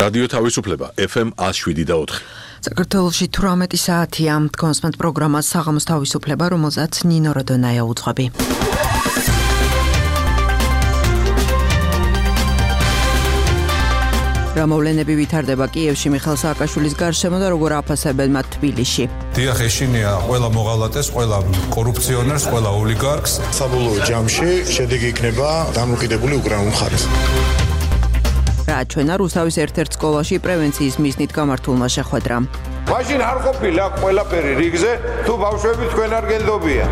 რადიო თავისუფლება FM 107.4. საქართველოში 18 საათია კონსპენთ პროგრამა საღამოს თავისუფლება, რომელზეც ნინო როდონაია უძღვები. რა მოვლენები ვითარდება კიევში მიხეილ სააკაშვილის გარშემო და როგორ აფასებენ მათ თბილისში. დიახ, ეშინია ყველა მოღალატეს, ყველა კორუფციონერს, ყველა ოლიგარქს. საბოლოო ჯამში შედეგი იქნება დამოუკიდებელი უკრაინულ მხარეს. რა ჩვენა რუსთავის ერთ-ერთ სკოლაში პრევენციის მიზნით გამართულმა შეხვედრამ. მაშინ არ ყოფილა ყველაფერი რიგზე, თუ ბავშვები თქვენ არ გენდობიან.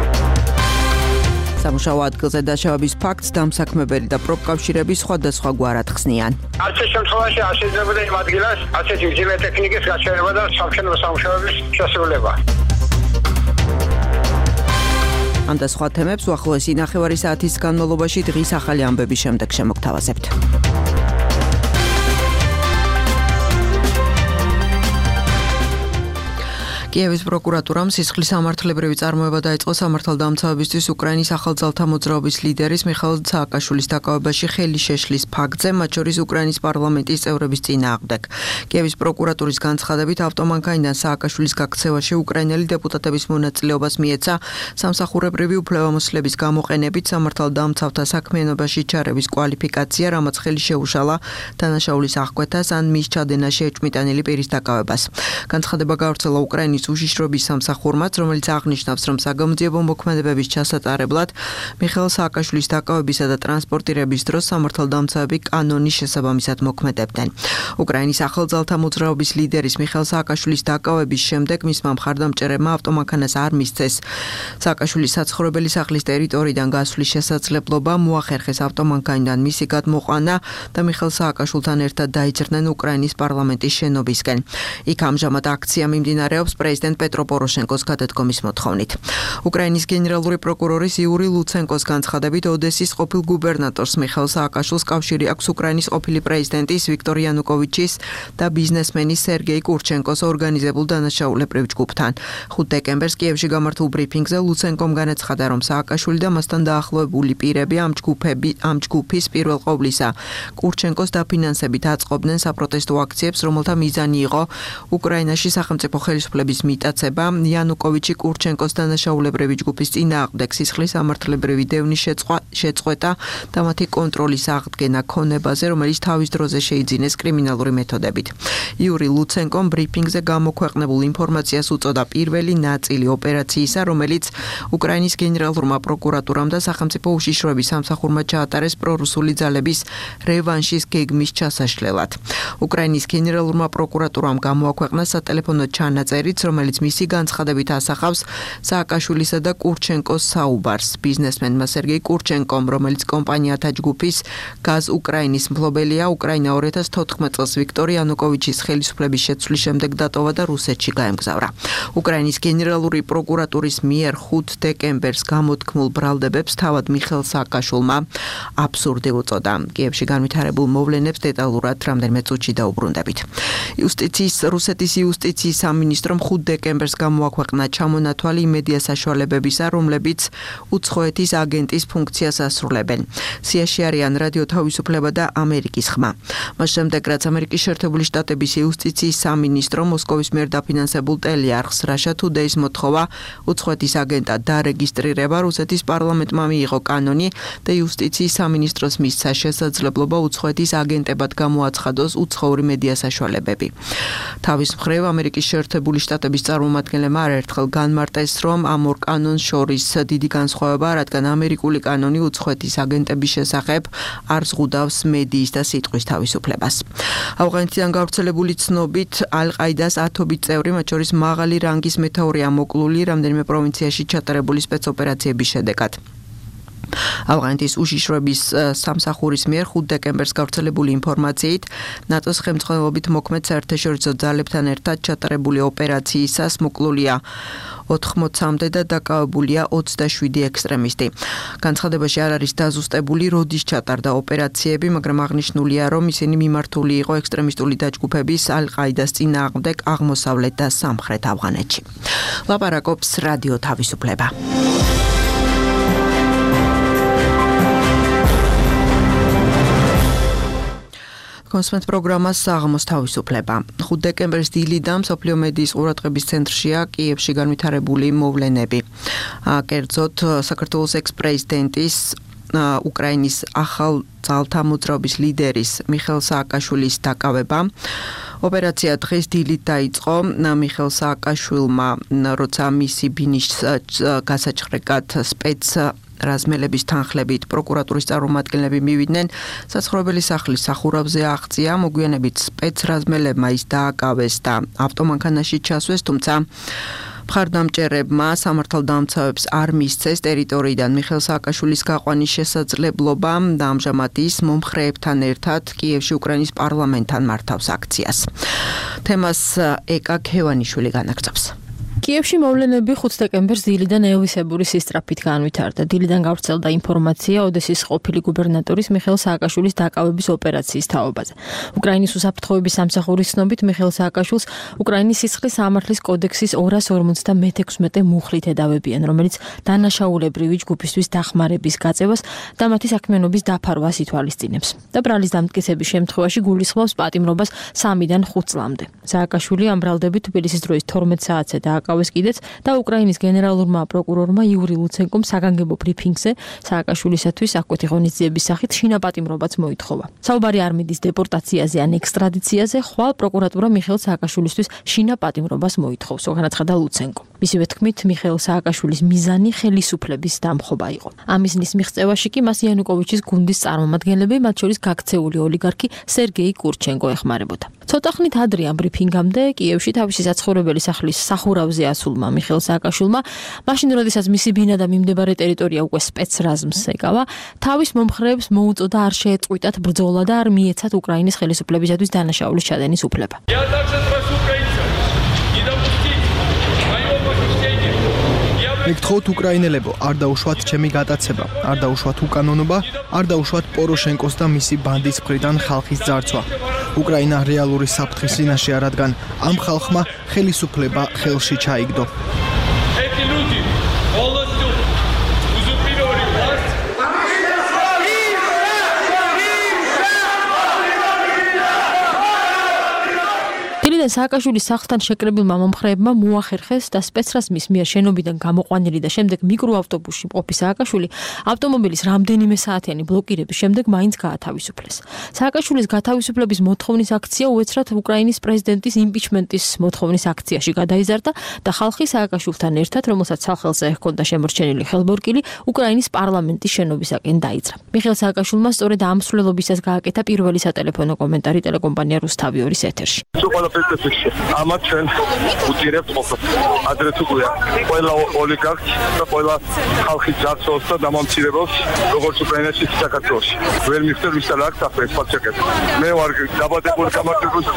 სამუშაო ადგილზე დაშავების ფაქტს დამსაქმებელი და პროფკავშირები სხვადასხვა გვარად ხსნიან. არც შემთხვევაში არ შეიძლება იმ ადგილას ასეთი მძიმე ტექნიკის გაჩერება და სამშენებლო სამუშაოების შესრულება. ამ და სხვა თემებს უახლოესი ნახევარი საათის განმავლობაში დღის ახალი ამბების შემდეგ შემოგთავაზებთ. კიევის პროკურატურამ სისხლის სამართლებრივი წარმოება დაიწყო სამართალდამცავებისთვის უკრაინის ახალძალთა მოძრაობის ლიდერის მიხეილ სააკაშვილის დაკავებაში ხელი შეშლის ფაქტზე, მათ შორის უკრაინის პარლამენტის წევრების წინააღმდეგ. კიევის პროკურატურის განცხადებით ავტომანქანიდან სააკაშვილის გაქცევაში უკრაინელი დეპუტატების მონაწილეობას მიეცა სამსახურებრივი უფლებამოსილების გამოყენებით სამართალდამცავთა საქმიანობაში ჩარევის კვალიფიკაცია, რამაც ხელი შეუშალა დანაშაულის აღკვეთას ან მის ჩადენაში ეჭვმიტანილი პირის დაკავებას. განცხადება გავრცელა უკრაინის უშიშრობის სამსახურმაც, რომელიც აღნიშნავს, რომ საგამოძიებო მოქმედებების ჩასატარებლად მიხეილ სააკაშვილის დაკავებისა და ტრანსპორტირების დროს სამართალდამცავები კანონის შესაბამისად მოქმედებდნენ. უკრაინის ახალძალთა მოძრაობის ლიდერის მიხეილ სააკაშვილის დაკავების შემდეგ მისმა მხარდამჭერებმა ავტომანქანას არ მისცეს სააკაშვილის საცხოვრებელი სახლის ტერიტორიიდან გასვლის შესაძლებლობა, მოახერხეს ავტომანქანიდან მისი გადმოყვანა და მიხეილ სააკაშვილთან ერთად დაიძრნენ უკრაინის პარლამენტის შენობისკენ. იქ ამჟამად აქცია მიმდინარეობს პრეზიდენტ პეტრო პოროშენკოს გადადგომის მოთხოვნით. უკრაინის გენერალური პროკურორის იური ლუცენკოს განცხადებით, ოდესის ყოფილ გუბერნატორს მიხეილ სააკაშვილს კავშირი აქვს უკრაინის ყოფილი პრეზიდენტის ვიქტორ იანუკოვიჩის და ბიზნესმენის სერგეი კურჩენკოს ორგანიზებულ დანაშაულებრივ ჯგუფთან. 5 დეკემბერს კიევში გამართულ ბრიფინგზე ლუცენკომ განაცხადა, რომ სააკაშვილი და მასთან დაახლოებული პირები ამ ჯგუფის პირველ ყოვლისა კურჩენკოს დაფინანსებით აწყობდნენ საპროტესტო აქციებს, რომელთა მიზანი იყო უკრაინაში სახელმწიფო ხელისუფლების მიტაცება, იანუკოვიჩი კურჩენკოს დანაშაულებრივი ჯგუფის წინააღმდეგ სისხლის სამართლებრივი დევნის შეწყვეტა და მათი კონტროლის აღდგენა ქონებაზე, რომელიც თავის დროზე შეიძინეს კრიმინალური მეთოდებით. იური ლუცენკომ ბრიფინგზე გამოქვეყნებულ ინფორმაციას უწოდა პირველი ნაწილი ოპერაციისა, რომელიც უკრაინის გენერალურმა პროკურატურამ და სახელმწიფო უშიშროების სამსახურმა ჩაატარეს პრორუსული ძალების რევანშის გეგმის ჩასაშლელად. უკრაინის გენერალურმა პროკურატურამ გამოაქვეყნა სატელეფონო ჩანაწერიც, რომელიც მისი განცხადებით ასახავს სააკაშვილისა და კურჩენკოს საუბარს. ბიზნესმენმა სერგეი კურჩენკომ, რომელიც კომპანიათა ჯგუფის გაზ უკრაინის მფლობელია, უკრაინა 2014 წელს ვიქტორ იანუკოვიჩის ხელისუფლების შეცვლის შემდეგ დატოვა და რუსეთში გაემგზავრა. უკრაინის გენერალური პროკურატურის მიერ 5 დეკემბერს გამოთქმულ ბრალდებებს თავად მიხეილ სააკაშვილმა აბსურდი უწოდა. კიევში განვითარებულ მოვლენებს დეტალურად რამდენიმე წუთში დაუბრუნდებით. რუსეთის იუსტიციის სამინისტრომ 5 დეკემბერს გამოაქვეყნა ჩამონათვალი მედია საშუალებებისა, რომლებიც უცხოეთის აგენტის ფუნქციას ასრულებენ. სიაში არიან რადიო თავისუფლება და ამერიკის ხმა. მას შემდეგ, რაც ამერიკის შეერთებული შტატების იუსტიციის სამინისტრო მოსკოვის მიერ დაფინანსებულ ტელეარხს Russia Today-ს მოთხოვა უცხოეთის აგენტად დარეგისტრირება, რუსეთის პარლამენტმა მიიღო კანონი და იუსტიციის სამინისტროს მისცა შესაძლებლობა უცხოეთის აგენტებად გამოაცხადოს უცხოური მედია საშუალებები. თავის მხრივ ამერიკის შეერთებული შტატების წარმომადგენლებმა არაერთხელ განმარტეს, რომ ამ ორ კანონს შორის დიდი განსხვავება, რადგან ამერიკული კანონი უცხოეთის აგენტების შესახებ არ ზღუდავს მედიის და სიტყვის თავისუფლებას. ავღანეთიდან გავრცელებული ცნობით, ალ-ყაიდას 10 წევრი, მათ შორის მაღალი რანგის მეთაურია მოკლული რამდენიმე პროვინციაში ჩატარებული სპეცოპერაციების შედეგად. ავღანეთის უშიშროების სამსახურის მიერ 5 დეკემბერს გავრცელებული ინფორმაციით, ნატოს ხელმძღვანელობით მოქმედ საერთაშორისო ძალებთან ერთად ჩატარებული ოპერაციისას მოკლულია 80-მდე და დაკავებულია 27 ექსტრემისტი. განცხადებაში არ არის დაზუსტებული, როდის ჩატარდა ოპერაციები, მაგრამ აღნიშნულია, რომ ისინი მიმართული იყო ექსტრემისტული დაჯგუფების ალ-ყაიდას წინააღმდეგ აღმოსავლეთ და სამხრეთ ავღანეთში. ლაპარაკობს რადიო თავისუფლება. კონსმენთ პროგრამას საღამოს თავისუფლება. 5 დეკემბრის დილიდან მსოფლიო მედიის ყურადღების ცენტრშია კიევში განვითარებული მოვლენები. კერძოდ საქართველოს ექს-პრეზიდენტის უკრაინის ახალ ძალთა მოძრაობის ლიდერის მიხეილ სააკაშვილის დაკავება. ოპერაცია დღეს დილით დაიწყო. მიხეილ სააკაშვილმა, როცა მისი ბინის გასაჩხრეკად სპეც რაზმელების თანხლებით პროკურატურის წარმომადგენლები მივიდნენ, საცხოვრებელი სახლის სახურავზე აღწია, მოგვიანებით სპეცრაზმელებმა ის დააკავეს და ავტომანქანაში ჩასვეს, თუმცა მხარდამჭერებმა სამართალდამცავებს არ მისცეს ტერიტორიიდან მიხეილ სააკაშვილის გაყვანის შესაძლებლობა და ამჟამად ის მომხრეებთან ერთად კიევში უკრაინის პარლამენტთან მართავს აქციას. თემას ეკა ქევანიშვილი განაგრძობს. კიევში მოვლენები 5 დეკემბერს დილიდან ელვისებური სისწრაფით განვითარდა. დილიდან გავრცელდა ინფორმაცია ოდესის ყოფილი გუბერნატორის მიხეილ სააკაშვილის დაკავების ოპერაციის თაობაზე. უკრაინის უსაფრთხოების სამსახურის ცნობით მიხეილ სააკაშვილს უკრაინის სისხლის სამართლის კოდექსის 256 მუხლით ედავებიან, რომელიც დანაშაულებრივი ჯგუფისთვის დახმარების გაწევას და მათი საქმიანობის დაფარვას ითვალისწინებს. და ბრალის დამტკიცების შემთხვევაში გულისხმობს პატიმრობას 3-დან 5 წლამდე. სააკაშვილი ამ ბრალდებით თბილისის დროის 12 საათზე დააკავეს კიდეც და უკრაინის გენერალურმა პროკურორმა იური ლუცენკომ საგანგებო ბრიფინგზე სააკაშვილისათვის აკვეთი ღონისძიების სახით შინაპატიმრობაც მოითხოვა. საუბარი არ მიდის დეპორტაციაზე ან ექსტრადიციაზე, ხვალ პროკურატურა მიხეილ სააკაშვილისთვის შინაპატიმრობას მოითხოვს, განაცხადა ლუცენკო. მისივე თქმით, მიხეილ სააკაშვილის მიზანი ხელისუფლების დამხობა იყო. ამ მიზნის მიღწევაში კი მას იანუკოვიჩის გუნდის წარმომადგენლები, მათ შორის გაქცეული ოლიგარქი სერგეი კურჩენკო ეხმარებოდა. ცოტა ხნით ადრე ამ ბრიფინგამდე კიევში თავისი საცხოვრებელი სახლის სახურავზე ასულმა მიხეილ სააკაშვილმა, მაშინ როდესაც მისი ბინა და მიმდებარე ტერიტორია უკვე სპეცრაზმს ეკავა, თავის მომხრეებს მოუწოდა არ შეეწყვიტათ ბრძოლა და არ მიეცათ უკრაინის ხელისუფლებისათვის დანაშაულის ჩადენის უფლება. მეგთხოვთ უკრაინელებო, არ დაუშვათ ჩემი გატაცება, არ დაუშვათ უკანონობა, არ დაუშვათ პოროშენკოს და მისი ბანდის მხრიდან ხალხის ძარცვა. უკრაინა რეალური საფრთხის წინაშეა, რადგან ამ ხალხმა ხელისუფლება ხელში ჩაიგდო. სააკაშვილის სახლთან შეკრებილმა მომხრეებმა მოახერხეს და სპეცრაზმის მიერ შენობიდან გამოყვანილი და შემდეგ მიკროავტობუსში მყოფი სააკაშვილი ავტომობილის რამდენიმე საათიანი ბლოკირების შემდეგ მაინც გაათავისუფლეს. სააკაშვილის გათავისუფლების მოთხოვნის აქცია უეცრად უკრაინის პრეზიდენტის იმპიჩმენტის მოთხოვნის აქციაში გადაიზარდა და ხალხი სააკაშვილთან ერთად, რომელსაც სახელზე ჰქონდა შემორჩენილი ხელბორკილი, უკრაინის პარლამენტის შენობისაკენ დაიძრა. მიხეილ სააკაშვილმა სწორედ ამ მსვლელობისას გააკეთა პირველი სატელეფონო კომენტარი ტელეკომპანია რუსთავი 2-ის ეთერში. ამათ ჩვენ უძირებთ ყოფილ ადრე თუ გვია ყველა ოლიგარქს და ყველა ხალხის ძარცვას და დამამცირებელს როგორც უკრაინაში საქართველოში ვერ მიხდარ ვის არ აქვს ახლა ეს ფაქტები მე ვარ დაბადებული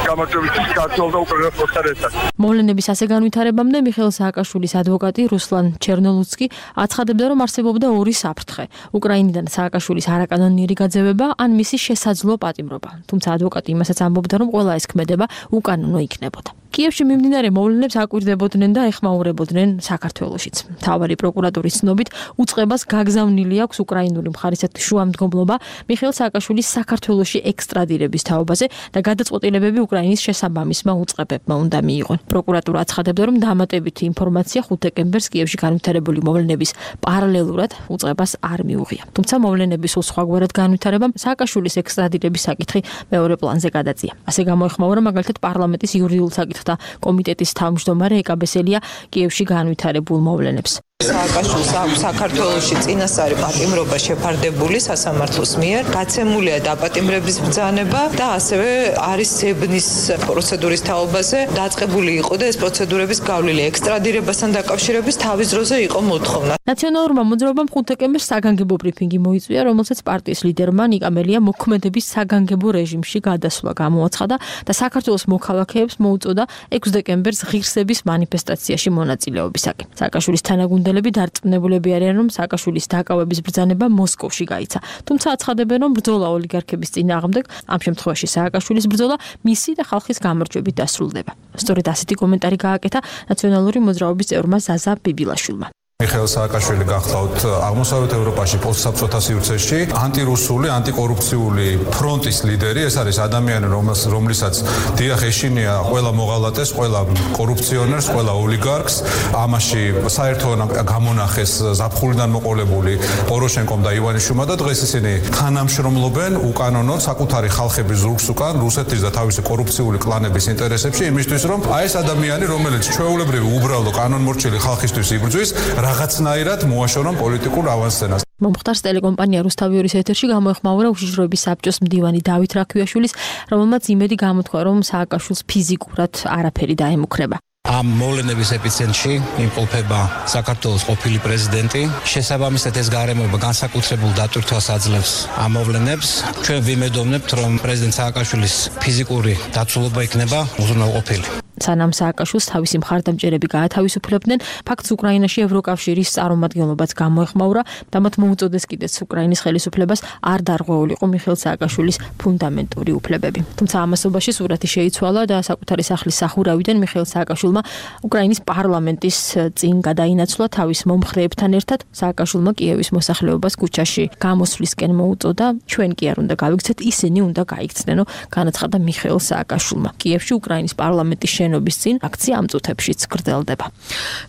გამარჯვების ქართველ და უკრაინას მოსარესად. მოვლენების ასე განვითარებამდე მიხეილ სააკაშვილის ადვოკატი რუსლან ჩერნოლუცკი აცხადებდა, რომ არსებობდა ორი საფრთხე: უკრაინიდან სააკაშვილის არაკანონიერი გაძევება ან მისი შესაძლო პატიმრობა. თუმცა ადვოკატი იმასაც ამბობდა, რომ ყველა ეს ქმედება უკანონო იქნებოდა. კიევში მიმდინარე მოვლენებს აკვირდებოდნენ და ეხმაურებოდნენ საქართველოშიც. მთავარი პროკურატურის ცნობით უწყებას გაგზავნილი აქვს უკრაინული მხარისათვის შუამდგომლობა მიხეილ სააკაშვილის საქართველოში ექსტრადირების თაობაზე და გადაწყვეტილებები უკრაინის შესაბამისმა უწყებებმა უნდა მიიღონ. პროკურატურა აცხადებდა, რომ დამატებითი ინფორმაცია 5 დეკემბერს კიევში განვითარებული მოვლენების პარალელურად უწყებას არ მიუღია. თუმცა მოვლენების სხვაგვარად განვითარებამ სააკაშვილის ექსტრადირების საკითხი მეორე პლანზე გადაწია. ასე გამოეხმაურა მაგალითად პარლამენტის იურიდიულ საკითხთა კომიტეტის თავმჯდომარე ეკა ბესელია კიევში განვითარებულ მოვლენებს. სააკაშვილს აქვს საქართველოში წინასწარი პატიმრობა შეფარდებული სასამართლოს მიერ, გაცემულია დაპატიმრების ბრძანება და ასევე არის ზებნის პროცედურის თაობაზე დაწყებული იყო და ეს პროცედურების გავლილი ექსტრადირებასთან დაკავშირების თავის დროზე იყო მოთხოვნა. ნაციონალურმა მოძრაობამ 5 დეკემბერს საგანგებო ბრიფინგი მოიწვია, რომელსაც პარტიის ლიდერმა ნიკა მელია მოქმედების საგანგებო რეჟიმში გადასვლა გამოაცხადა და საქართველოს მოქალაქეებს მოუწოდა 6 დეკემბერს ღირსების მანიფესტაციაში მონაწილეობისაკენ. სააკაშვილის თანაგუნდელები დარწმუნებულები არიან, რომ სააკაშვილის დაკავების ბრძანება მოსკოვში გაიცა. თუმცა აცხადებენ, რომ ბრძოლა ოლიგარქების წინააღმდეგ, ამ შემთხვევაში სააკაშვილის ბრძოლა მისი და ხალხის გამარჯვებით დასრულდება. სწორედ ასეთი კომენტარი გააკეთა ნაციონალური მოძრაობის წევრმა ზაზა ბიბილაშვილმა. მიხეილ სააკაშვილი გახლავთ აღმოსავლეთ ევროპაში პოსტსაბჭოთა სივრცეში ანტირუსული, ანტიკორუფციული ფრონტის ლიდერი. ეს არის ადამიანი, რომლისაც დიახ ეშინია ყველა მოღალატეს, ყველა კორუფციონერს, ყველა ოლიგარქს. ამაში საერთოდ გამონახეს ზაფხულიდან მოყოლებული პოროშენკომ და ივანიშვილმა და დღეს ისინი თანამშრომლობენ უკანონოდ საკუთარი ხალხების ზურგს უკან რუსეთის და თავისი კორუფციული კლანების ინტერესებში იმისთვის, რომ ეს ადამიანი, რომელიც ჩვეულებრივი უბრალო კანონმორჩილი ხალხისთვის იბრძვის, რაღაცნაირად მოაშორონ პოლიტიკურ ავანსცენას. მომხდარს ტელეკომპანია რუსთავი-2-ის ეთერში გამოეხმაურა უშიშროების საბჭოს მდივანი დავით რაქიაშვილის, რომელმაც იმედი გამოთქვა, რომ სააკაშვილს ფიზიკურად არაფერი დაემუქრება. ამ მოვლენების ეპიცენტრში იმყოფება საქართველოს ყოფილი პრეზიდენტი. შესაბამისად ეს გარემოება განსაკუთრებულ დატვირთვას აძლევს ამ მოვლენებს. ჩვენ ვიმედოვნებთ, რომ პრეზიდენტ სააკაშვილის ფიზიკური დაცულობა იქნება უზრუნველყოფილი. სანამ სააკაშვილს თავისი მხარდამჭერები გაათავისუფლებდნენ, ფაქტს უკრაინაში ევროკავშირის წარმომადგენლობაც გამოეხმაურა და მათ მოუწოდეს კიდეც უკრაინის ხელისუფლებას არ დარღვეულიყო მიხეილ სააკაშვილის ფუნდამენტური უფლებები. თუმცა ამასობაში სურათი შეიცვალა და საკუთარი სახლის სახურავიდან მიხეილ სააკაშვილმა უკრაინის პარლამენტის წინ გადაინაცვლა თავის მომხრეებთან ერთად. სააკაშვილმა კიევის მოსახლეობას ქუჩაში გამოსვლისკენ მოუწოდა. ჩვენ კი არ უნდა გავიქცეთ, ისინი უნდა გაიქცნენო, განაცხადა მიხეილ სააკაშვილმა. კიევში უკრაინის პარლამენტის შენობის წინ აქცია ამ წუთებშიც გრძელდება.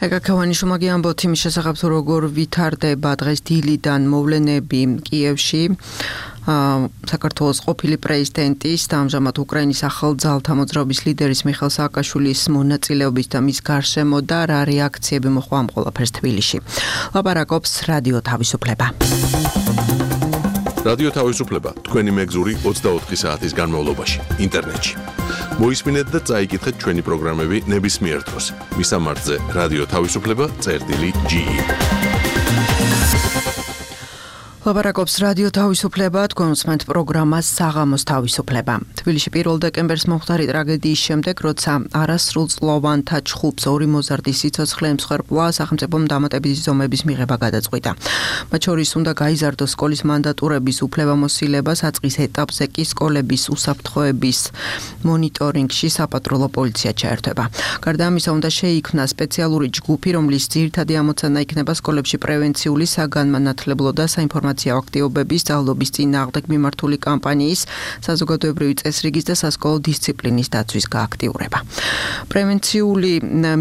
ეკაკევანიშვილმა ამბობთ იმის შესახებ, როგორ ვითარდება დღეს დილიდან მოვლენები კიევში. საქართველოს ყოფილი პრეზიდენტის და ამჟამად უკრაინის ახალ ძალთა მოძრაობის ლიდერის მიხეილ სააკაშვილის მონაწილეობის და მის გარშემო და რა რეაქციები მოხდა ამ ყველაფერს თბილისში. ლაპარაკობს რადიო თავისუფლება. რადიო თავისუფლება თქვენი მეგზური 24 საათის განმავლობაში ინტერნეტში. მოისმინეთ და წაიკითხეთ ჩვენი პროგრამები ნებისმიერ დროს. მისამართზე რადიო თავისუფლება.ge ლაპარაკობს რადიო თავისუფლება, თქვენ უსმენთ პროგრამას საღამოს თავისუფლება. თბილისში 1 დეკემბერს მომხდარი ტრაგედიის შემდეგ, როცა არასრულწლოვანთა ჩხუბს ორი მოზარდის სიცოცხლე ემსხვერპლა, სახელმწიფომ დამატებითი ზომების მიღება გადაწყვიტა. მათ შორის უნდა გაიზარდოს სკოლის მანდატურების უფლებამოსილება, საწყის ეტაპზე კი სკოლების უსაფრთხოების მონიტორინგში საპატრულო პოლიცია ჩაერთვება. გარდა ამისა, უნდა შეიქმნას სპეციალური ჯგუფი, რომლის ძირითადი ამოცანა იქნება სკოლებში პრევენციული, საგანმანათლებლო და საინფორმაციო აქტივობების, ძალობის წინააღმდეგ მიმართული კამპანიის, საზოგადოებრივი წესრიგის და სასკოლო დისციპლინის დაცვის გააქტიურება. პრევენციული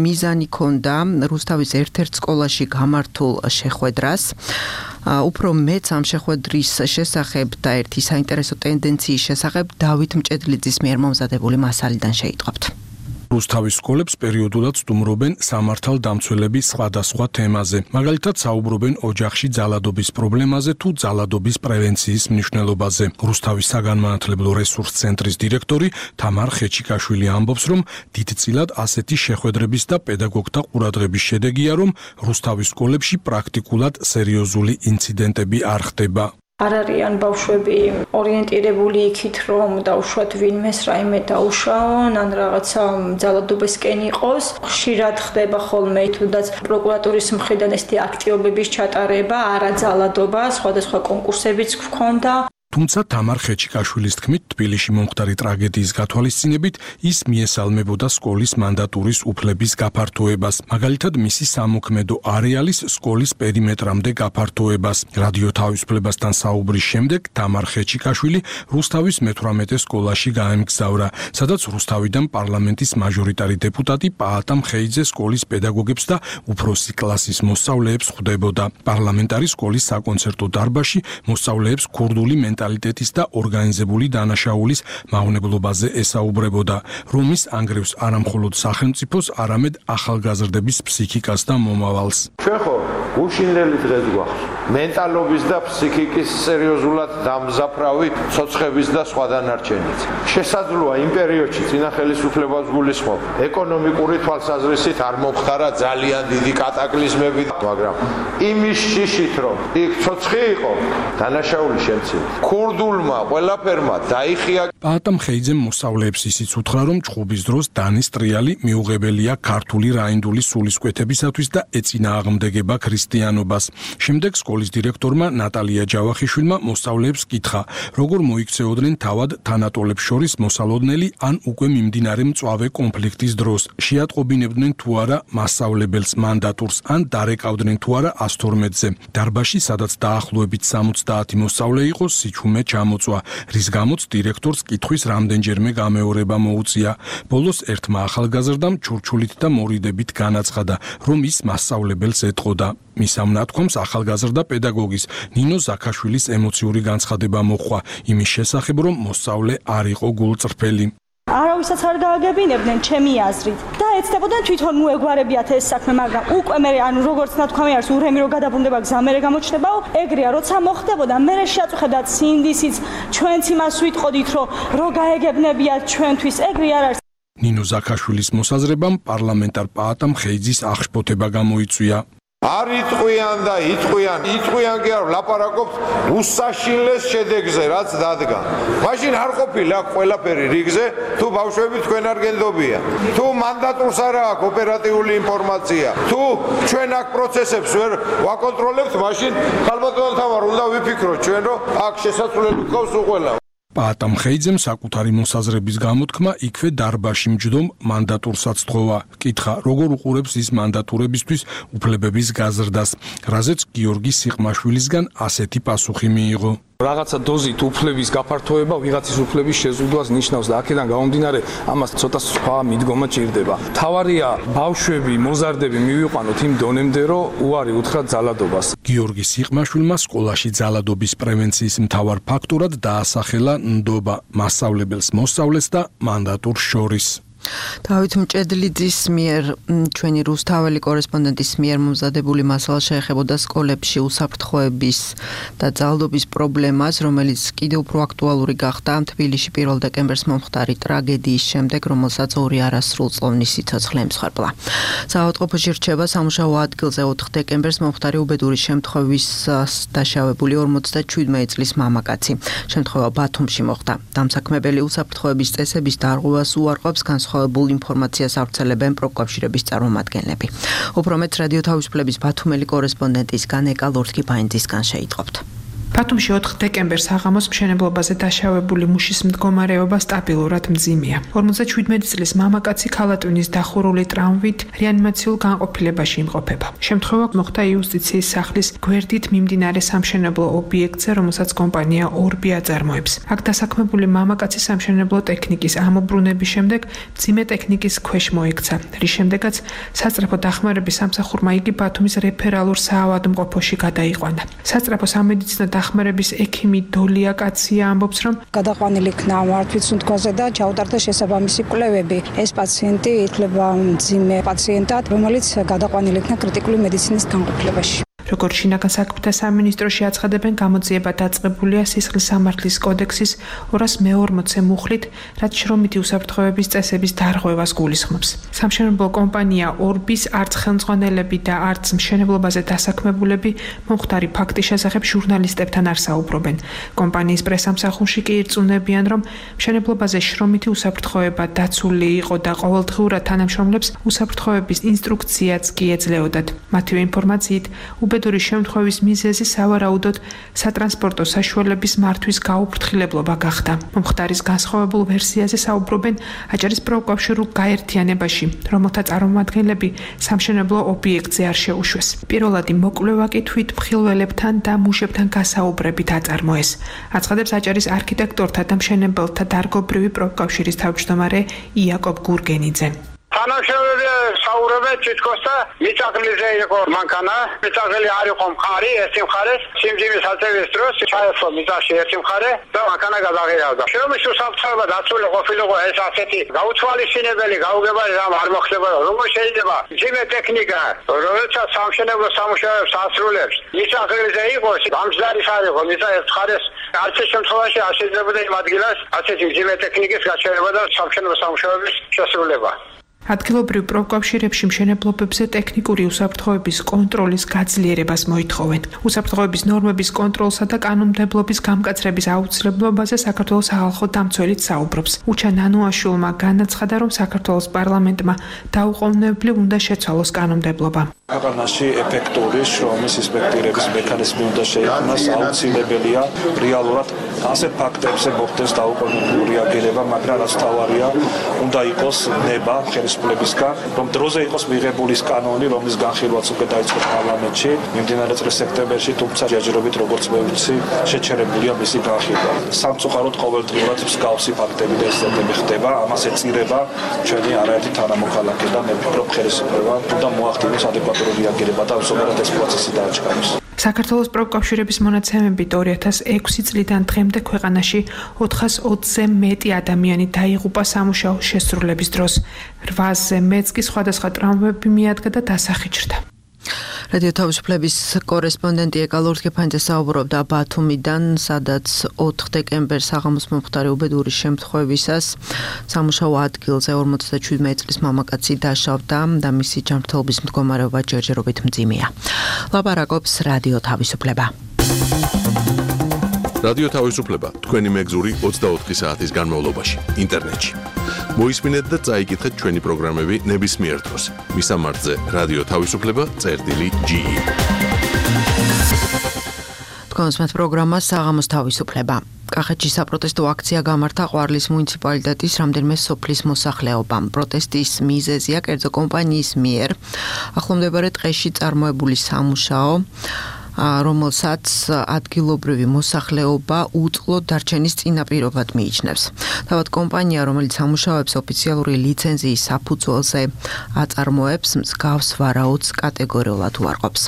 მიზანი ჰქონდა რუსთავის ერთ-ერთ სკოლაში გამართულ შეხვედრას. უფრო მეც ამ შეხვედრის შესახებ და ერთი საინტერესო ტენდენციის შესახებ დავით მჭედლიძის მიერ მომზადებული მასალიდან შეიტყობთ. რუსთავის სკოლებს პერიოდულად სტუმრობენ სამართალდამცველების სხვადასხვა თემაზე. მაგალითად, საუბრობენ ოჯახში ძალადობის პრობლემაზე თუ ძალადობის პრევენციის მნიშვნელობაზე. რუსთავის საგანმანათლებლო რესურს ცენტრის დირექტორი თამარ ხეჩიკაშვილი ამბობს, რომ დიდწილად ასეთი შეხვედრების და პედაგოგთა ყურადღების შედეგია, რომ რუსთავის სკოლებში პრაქტიკულად სერიოზული ინციდენტები არ ხდება. არ არიან ბავშვები ორიენტირებული იქით, რომ დაუშვათ ვინმეს რაიმე დაუშაონ, ან რაღაცა ძალადობისკენ იყოს. ხშირად ხდება ხოლმე თუნდაც პროკურატურის მხრიდან ესეთი აქტივობების ჩატარება, არა ძალადობა, სხვადასხვა კონკურსებიც გვქონდა. თუმცა თამარ ხეჩიკაშვილის თქმით, თბილისში მომხდარი ტრაგედიის გათვალისწინებით ის მიესალმებოდა სკოლის მანდატურის უფლების გაფართოებას, მაგალითად მისი სამოქმედო არეალის სკოლის პერიმეტრამდე გაფართოებას. რადიო თავისუფლებასთან საუბრის შემდეგ თამარ ხეჩიკაშვილი რუსთავის მე-18 სკოლაში გაემგზავრა, სადაც რუსთავიდან პარლამენტის მაჟორიტარი დეპუტატი პაატა მხეიძე სკოლის პედაგოგებს და უფროსი კლასის მოსწავლეებს ხვდებოდა. პარლამენტარი სკოლის საკონცერტო დარბაზში მოსწავლეებს ქურდული მენტალიტეტის და ორგანიზებული დანაშაულის მავნებლობაზე ესაუბრებოდა, რომის ანგრევს არამხოლოდ სახელმწიფოს, არამედ ახალგაზრდების ფსიქიკას და მომავალს. ჩვენ ხო უშინელი დღეს გვაქვს. მენტალობის და ფსიქიკის სერიოზულად დამზაფრავი ცოცხების და სხვა დანარჩენიც. შესაძლოა იმ პერიოდში წინა ხელისუფლებას გულისხმობ, ეკონომიკური თვალსაზრისით არ მომხდარა ძალიან დიდი კატაკლიზმები, მაგრამ იმის შიშით რომ იქ ცოცხი იყო, დანაშაული შემცირდა. ქურდულმა ყველაფერმა დაიხია. პაატა მხეიძემ მოსწავლეებს ისიც უთხრა, რომ ჩხუბის დროს დანის ტრიალი მიუღებელია ქართული რაინდული სულისკვეთებისათვის და ეწინააღმდეგება ქრისტიანობას. შემდეგ სკოლის დირექტორმა ნატალია ჯავახიშვილმა მოსწავლეებს კითხა, როგორ მოიქცეოდნენ თავად თანატოლებს შორის მოსალოდნელი ან უკვე მიმდინარე მწვავე კონფლიქტის დროს, შეატყობინებდნენ თუ არა მასწავლებელს მანდატურს ან დარეკავდნენ თუ არა 112-ზე. დარბაზში, სადაც დაახლოებით 70 მოსწავლე იყო, სიჩუმე ჩამოწვა, რის გამოც დირექტორს კითხვის რამდენჯერმე გამეორება მოუწია. ბოლოს ერთმა ახალგაზრდამ ჩურჩულით და მორიდებით განაცხადა, რომ ის მასწავლებელს ეტყოდა. მის ამ ნათქვამს ახალგაზრდა პედაგოგის ნინო ზაქაშვილის ემოციური განცხადება მოჰყვა იმის შესახებ, რომ მოსწავლე არ იყო გულწრფელი. არავისაც არ გააგებინებდნენ ჩემი აზრით და ეცდებოდნენ თვითონ მოეგვარებიათ ეს საქმე, მაგრამ უკვე მე როგორც ნათქვამი არის ურემი რო გადაბრუნდება გზა მე გამოჩნდებაო, ეგრეა როცა მოხდებოდა მე შეაწუხებდათ სინდისიც ჩვენც იმას ვიტყოდით რომ გაეგებნებიათ ჩვენთვის, ეგრე არ არის. ნინო ზაქაშვილის მოსაზრებამ პარლამენტარ პაატამ ხეიძის აღშფოთება გამოიწვია. არ იტყვიან და იტყვიან კი არ ლაპარაკობთ უსაშინლეს შედეგზე, რაც დადგა. მაშინ არ ყოფილა ყველაფერი რიგზე, თუ ბავშვები თქვენ არ გენდობიან, თუ მანდატურს არ აქვს ოპერატიული ინფორმაცია, თუ ჩვენ აქ პროცესებს ვერ ვაკონტროლებთ, მაშინ ხალბატონო თავარ უნდა ვიფიქროთ ჩვენ, რომ აქ შესაძლებელი გქონს უყველა. პაატამ ხეიძემ საკუთარი მოსაზრების გამოთქმა იქვე დარბაზში მჯდომ მანდატურსაც თხოვა. კითხა, როგორ უყურებს ის მანდატურებისთვის უფლებების გაზრდას, რაზეც გიორგი სიყმაშვილისგან ასეთი პასუხი მიიღო. რაღაცა დოზით უფლების გაფართოება ვიღაცის უფლების შეზღუდვას ნიშნავს და აქედან გამომდინარე ამას ცოტა სხვა მიდგომა ჭირდება. თავარია ბავშვები, მოზარდები მივიყვანოთ იმ დონემდე, რომ უარი უთხრათ ძალადობას. გიორგი სიყმაშვილმა სკოლაში ძალადობის პრევენციის მთავარ ფაქტორად დაასახელა ნდობა მასწავლებელს, მოსწავლეს და მანდატურს შორის. დავით მჭედლიძის მიერ ჩვენი რუსთაველი კორესპონდენტის მიერ მომზადებული მასალა შეეხებოდა სკოლებში უსაფრთხოების და ძალადობის პრობლემას, რომელიც კიდევ უფრო აქტუალური გახდა თბილისში 1 დეკემბერს მომხდარი ტრაგედიის შემდეგ, რომელსაც 2 არასრულწლოვანი სიცოცხლე ემსხვერპლა. საავადმყოფოში რჩება სამუშაო ადგილზე 4 დეკემბერს მომხდარი უბედური შემთხვევის დაშავებული 47 წლის მამაკაცი. შემთხვევა ბათუმში მოხდა. დამსაქმებელი უსაფრთხოების წესების დარღვევას უარყოფს განსხვავებულ ინფორმაციას ავრცელებენ პროკავშირების წარმომადგენლები. უფრო მეტ რადიო თავისუფლების ბათუმელი კორესპონდენტისგან ეკა ლორთქიფაინძისგან შეიტყობთ. ბათუმში 4 დეკემბერს აღამოს მშენებლობაზე დაშავებული მუშის მდგომარეობა სტაბილურად მძიმეა. 57 წლის მამაკაცი ქალატვინის დახურული ტრამვით რეანიმაციულ განყოფილებაში იმყოფება. შემთხვევა მოხდა იუსტიციის სახლის გვერდით მიმდინარე სამშენებლო ობიექტზე, რომელსაც კომპანია ორბი აწარმოებს. აქ დასაქმებული მამაკაცი სამშენებლო ტექნიკის ამობრუნების შემდეგ მძიმე ტექნიკის ქვეშ მოექცა, რის შემდეგაც სასწრაფო დახმარების სამსახურმა იგი ბათუმის რეფერალურ საავადმყოფოში გადაიყვანა. სასწრაფო სამედიცინო დახმარების ექიმი დოლია კაცია ამბობს, რომ გადაყვანილი იქნა მართვის სუნთქვაზე და ჩაუტარდა შესაბამისი კვლევები. ეს პაციენტი ითვლება მძიმე პაციენტად, რომელიც გადაყვანილი იქნა კრიტიკული მედიცინის განყოფილებაში. როგორც შინაგან საქმეთა სამინისტროში აცხადებენ, გამოძიება დაწყებულია სისხლის სამართლის კოდექსის 240 მუხლით, რაც შრომითი უსაფრთხოების წესების დარღვევას გულისხმობს. სამშენებლო კომპანია ორბის არც ხელმძღვანელები და არც მშენებლობაზე დასაქმებულები მომხდარი ფაქტის შესახებ ჟურნალისტებთან არ საუბრობენ. კომპანიის პრესამსახურში კი ირწმუნებიან, რომ მშენებლობაზე შრომითი უსაფრთხოება დაცული იყო და ყოველდღიურად თანამშრომლებს უსაფრთხოების ინსტრუქციაც კი ეძლეოდათ. მათივე ინფორმაციით, უბედური შემთხვევის მიზეზი სავარაუდოდ სატრანსპორტო საშუალების მართვის გაუფრთხილებლობა გახდა. მომხდარის განსხვავებულ ვერსიაზე საუბრობენ აჭარის პროკავშირულ გაერთიანებაში, რომელთა წარმომადგენლები სამშენებლო ობიექტზე არ შეუშვეს. პირველადი მოკვლევა კი თვითმხილველებთან და მუშებთან გასაუბრებით აწარმოეს. აცხადებს აჭარის არქიტექტორთა და მშენებელთა დარგობრივი პროკავშირის თავმჯდომარე იაკობ გურგენიძე. თანამშრომლები საუბრობენ თითქოს და მიწაღლიზე იყო მანქანა, მიწაღლი არ იყო მხარი, ერთი მხარე სიმძიმის აწევის დროს ჩაერთო მიწაში ერთი მხარე და მანქანა გადაღირავდა. შრომის უსაფრთხოება დაცული ყოფილიყო ეს ასეთი გაუთვალისწინებელი გაუგებარი რამ არ მოხდება, როგორ შეიძლება მძიმე ტექნიკა, რომელსაც სამშენებლო სამუშაოებს ასრულებს, მიწაღლიზე იყოს, გამძლარის არ იყო, მიწა ერთ მხარეს არც შემთხვევაში არ შეიძლება იმ ადგილას ასეთი მძიმე ტექნიკის გაჩერება და სამშენებლო სამუშაოების შესრულება. ადგილობრივ პროკავშირებში მშენებლობებზე ტექნიკური უსაფრთხოების კონტროლის გაძლიერებას მოითხოვენ. უსაფრთხოების ნორმების კონტროლსა და კანონმდებლობის გამკაცრების აუცილებლობაზე საქართველოს სახალხო დამცველიც საუბრობს. უჩა ნანუაშვილმა განაცხადა, რომ საქართველოს პარლამენტმა დაუყოვნებლივ უნდა შეცვალოს კანონმდებლობა. ქვეყანაში ეფექტური შრომის ინსპექტირების მექანიზმი უნდა შეიქმნას, აუცილებელია რეალურად ასეთ ფაქტებზე მოხდეს დაუყოვნებლივ რეაგირება, მაგრამ რაც თავარია, უნდა იყოს ნება ხელისუფლებისგან, რომ დროზე იყოს მიღებული კანონი, რომლის განხილვაც უკვე დაიწყო პარლამენტში მიმდინარე წლის სექტემბერში, თუმცა ჯერჯერობით როგორც მე ვიცი, შეჩერებულია მისი განხილვა. სამწუხაროდ ყოველდღიურად მსგავსი ფაქტები და ინციდენტები ხდება, ამას ეწირება ჩვენი არაერთი თანამოქალაქე და მე ვფიქრობ, ხელისუფლება უნდა მოახდინოს ადეკვატური რეაგირება და ზოგადად ეს პროცესი დააჩქაროს. საქართველოს პროკავშირების მონაცემებით 2006 წლიდან დღემდე ქვეყანაში 420-ზე მეტი ადამიანი დაიღუპა სამუშაოს შესრულების დროს. 800-ზე მეტს კი სხვადასხვა ტრავმები მიადგა და დასახიჭრდა. რადიო თავისუფლების კორესპონდენტი ეკა ლურთქეფანიძე საუბრობდა ბათუმიდან, სადაც 4 დეკემბერს საღამოს მომხდარი უბედური შემთხვევისას სამუშაო ადგილზე 57 წლის მამაკაცი დაშავდა და მისი ჯანმრთელობის მდგომარეობა ჯერჯერობით მძიმეა. ლაპარაკობს რადიო თავისუფლება. რადიო თავისუფლება თქვენი მეგზური 24 საათის განმავლობაში ინტერნეტში. მოისმინეთ და წაიკითხეთ ჩვენი პროგრამები ნებისმიერ დროს. მისამართზე რადიო თავისუფლება.ge. თქვენს პროგრამას საღამოს თავისუფლება. კახეთში საპროტესტო აქცია გამართა ყვარლის მუნიციპალიტეტის რამდენიმე სოფლის მოსახლეობამ. პროტესტის მიზეზია კერძო კომპანიის მიერ ახლომდებარე ტყეში წარმოებული სამუშაო, რომელსაც ადგილობრივი მოსახლეობა უწყლოდ დარჩენის წინაპირობად მიიჩნევს. თავად კომპანია, რომელიც სამუშაოებს ოფიციალური ლიცენზიის საფუძველზე აწარმოებს, მსგავს ვარაუდს კატეგორიულად უარყოფს.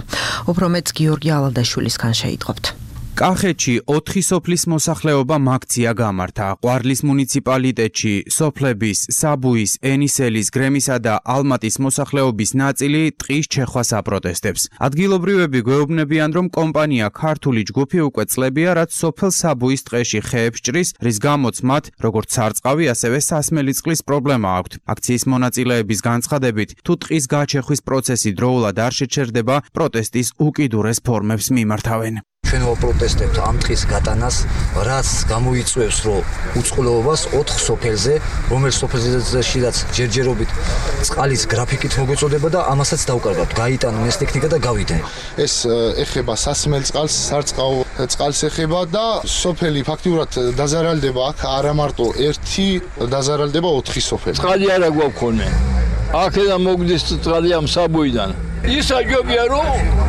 უფრო მეტს გიორგი ალადაშვილისგან შეიტყობთ. კახეთში 4 სოფლის მოსახლეობამ აქცია გამართა. ყვარლის მუნიციპალიტეტში სოფლების საბუის, ენისელის, გრემისა და ალმატის მოსახლეობის ნაწილი ტყის ჩეხვას აპროტესტებს. ადგილობრივები გვეუბნებიან, რომ კომპანია ქართული ჯგუფი უკვე წლებია, რაც სოფელ საბუის ტყეში ხეებს ჭრის, რის გამოც მათ როგორც სარწყავი, ასევე სასმელი წყლის პრობლემა აქვთ. აქციის მონაწილეების განცხადებით, თუ ტყის გაჩეხვის პროცესი დროულად არ შეჩერდება, პროტესტის უკიდურეს ფორმებს მიმართავენ. ჩვენ ვაპროტესტებთ ამ ტყის გატანას, რაც გამოიწვევს, რომ უწყლოობას 4 სოფელზე, რომელიც სოფელზეშიც ჯერჯერობით წყალის გრაფიკით მოგვეწოდება და ამასაც დავკარგავთ. გაიტანონ ეს ტექნიკა და გავიდენ. ეს ეხება სასმელ წყალს, სარწყავ წყალს ეხება და სოფელი ფაქტიურად დაზარალდება, აქ არა მარტო 1 დაზარალდება 4 სოფელი. წყალი არა გვაქვს ხოლმე. აქედან მოგდის წყალი ამ საბუიდან. ის აჯობია რომ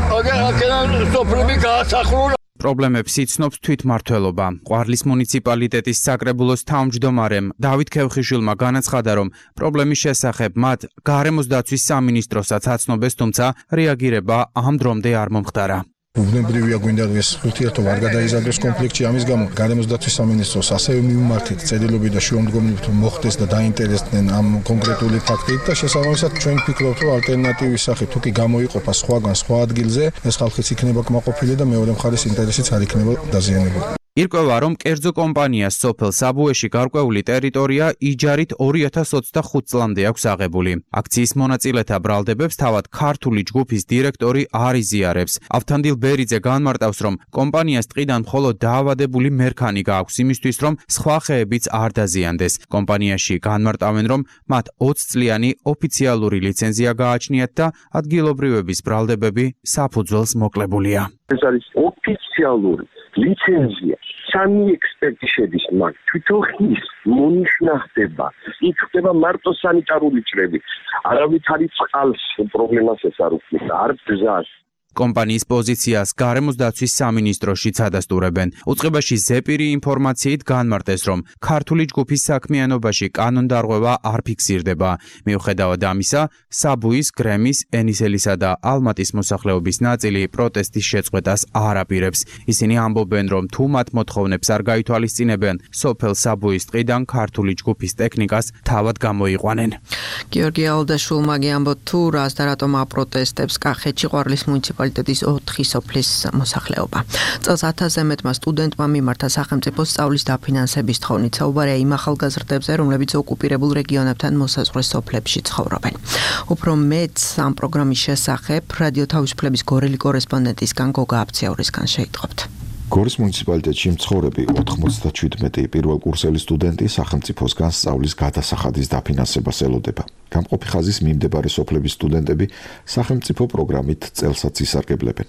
აქედან სოფლები გაასახლონ. პრობლემებს იცნობს თვითმმართველობა. ყვარლის მუნიციპალიტეტის საკრებულოს თავმჯდომარემ დავით ქევხიშვილმა განაცხადა, რომ პრობლემის შესახებ მათ გარემოს დაცვის სამინისტროსაც აცნობეს, თუმცა რეაგირება ამ დრომდე არ მომხდარა. უბნებრივია გვინდა ეს ურთიერთობა არ გადაიზარდოს კონფლიქტში, ამის გამო გარემოს დაცვის სამინისტროს ასევე მივმართეთ წერილობი და შუამდგომლობით მოხდეს და დაინტერესდნენ ამ კონკრეტული ფაქტით და შესაბამისად ჩვენ ვფიქრობთ, რომ ალტერნატივის სახით თუ კი გამოიყოფა სხვაგან სხვა ადგილზე, ეს ხალხიც იქნება კმაყოფილი და მეორე მხარის ინტერესიც არ იქნება დაზიანებული. ირკვევა, რომ კერძო კომპანიას სოფელ საბუეში გარკვეული ტერიტორია იჯარით 2025 წლამდე აქვს აღებული. აქციის მონაწილეთა ბრალდებებს თავად ქართული ჯგუფის დირექტორი არ იზიარებს. ავთანდილ ბერიძე განმარტავს, რომ კომპანიას ტყიდან მხოლოდ დაავადებული მერქანი გააქვს იმისთვის, რომ სხვა ხეებიც არ დაზიანდეს. კომპანიაში განმარტავენ, რომ მათ 20 წლიანი ოფიციალური ლიცენზია გააჩნიათ და ადგილობრივების ბრალდებები საფუძველს მოკლებულია. ეს არის ოფიციალური ლიცენზია. 3 ექსპერტი შედის მაგ თვითონ ის მონიშნა ხდება. იქ ხდება მარტო სანიტარული ჭრები. არავით არის წყალს პრობლემას ეს არ უქმნის, არ ბზას. კომპანიის პოზიციას გარემოს დაცვის სამინისტროში წადასტურებენ. უწყებაში ზეპირი ინფორმაციით განმარტეს, რომ ქართული ჯგუფის საქმიანობაში კანონდარღვევა არ ფიქსირდება. მიუხედავად ამისა, საბუის, გრემის, ენისელისა და ალმატის მოსახლეობის ნაწილი პროტესტის შეწყვეტას არ აპირებს. ისინი ამბობენ, რომ თუ მათ მოთხოვნებს არ გაითვალისწინებენ, სოფელ საბუის ტყიდან ქართული ჯგუფის ტექნიკას თავად გამოიყვანენ. გიორგი ალადაშვილმა ამბობს, თუ რას და რატომ აპროტესტებს კახეთში ყვარლის მუნიციპალიტეტის მუნიციპალიტეტის 4 სოფლის მოსახლეობა. წელს 1000-ზე მეტმა სტუდენტმა მიმართა სახელმწიფოს სწავლის დაფინანსების თხოვნით. საუბარია იმ ახალგაზრდებზე, რომლებიც ოკუპირებულ რეგიონებთან მოსაზღვრე სოფლებში ცხოვრობენ. უფრო მეც ამ პროგრამის შესახებ რადიო თავისუფლების გორელი კორესპონდენტისგან გოგა აფციაურისგან შეიტყობთ. გორის მუნიციპალიტეტში მცხოვრები 97 პირველკურსელი სტუდენტი სახელმწიფოსგან სწავლის გადასახადის დაფინანსებას ელოდება. გამყოფი ხაზის მიმდებარე სოფლების სტუდენტები სახელმწიფო პროგრამით წელსაც ისარგებლებენ.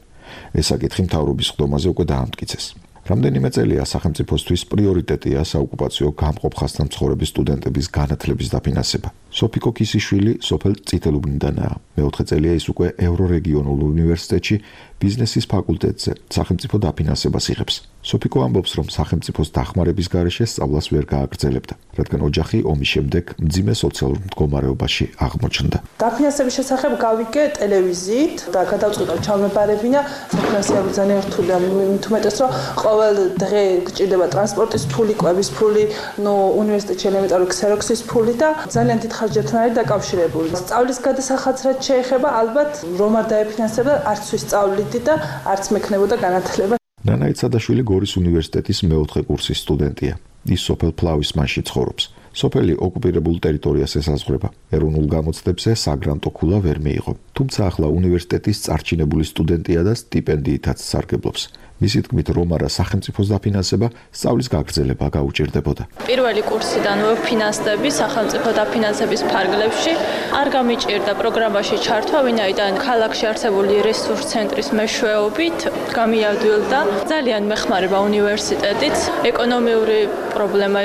ეს საკითხი მთავრობის ხდომაზე უკვე დაამტკიცეს. რამდენიმე წელია სახელმწიფოსთვის პრიორიტეტია საოკუპაციო გამყოფ ხაზთან მცხოვრები სტუდენტების განათლების დაფინანსება. სოფიკო კისიშვილი სოფელ წითელუბნიდანაა. მეოთხე წელია ის უკვე ევრორეგიონულ უნივერსიტეტში ბიზნესის ფაკულტეტზე სახელმწიფო დაფინანსებას იღებს. სოფიკო ამბობს, რომ სახელმწიფოს დახმარების გარეშე სწავლას ვერ გააგრძელებდა, რადგან ოჯახი ომის შემდეგ მძიმე სოციალურ მდგომარეობაში აღმოჩნდა. დაფინანსების შესახებ გავიგე ტელევიზიით და გადავწყვიტე ჩავმეპარებინა საფინანსები ძალიან რთულია, მით უმეტეს რომ ყოველ დღე გჭირდება ტრანსპორტის ფული, კვების ფული, უნივერსიტეტში ელემენტარული ქსეროქსის ფული და ძალიან დიდ ხარჯებთან არის დაკავშირებული. სწავლის გადასახადს რაც შეეხება, ალბათ რომ არ დაეფინანსება არც ვისწავლით და არც მექნებოდა განათლება. ნანა იცადაშვილი გორის უნივერსიტეტის მეოთხე კურსის სტუდენტია. ის სოფელ ფლავისმანში ცხოვრობს. სოფელი ოკუპირებულ ტერიტორიას ესაზღვრება. ეროვნულ გამოცდებზე საგრანტო ქულა ვერ მიიღო. თუმცა ახლა უნივერსიტეტის წარჩინებული სტუდენტია და სტიპენდიითაც სარგებლობს. მისი თქმით, რომ არა სახელმწიფოს დაფინანსება, სწავლის გაგრძელება გაუჭირდებოდა. პირველი კურსიდან ვფინანსდები სახელმწიფო დაფინანსების ფარგლებში. არ გამიჭირდა პროგრამაში ჩართვა, ვინაიდან ქალაქში არსებული რესურს ცენტრის მეშვეობით გამიადვილდა. ძალიან მეხმარება უნივერსიტეტიც. ეკონომიური პრობლემა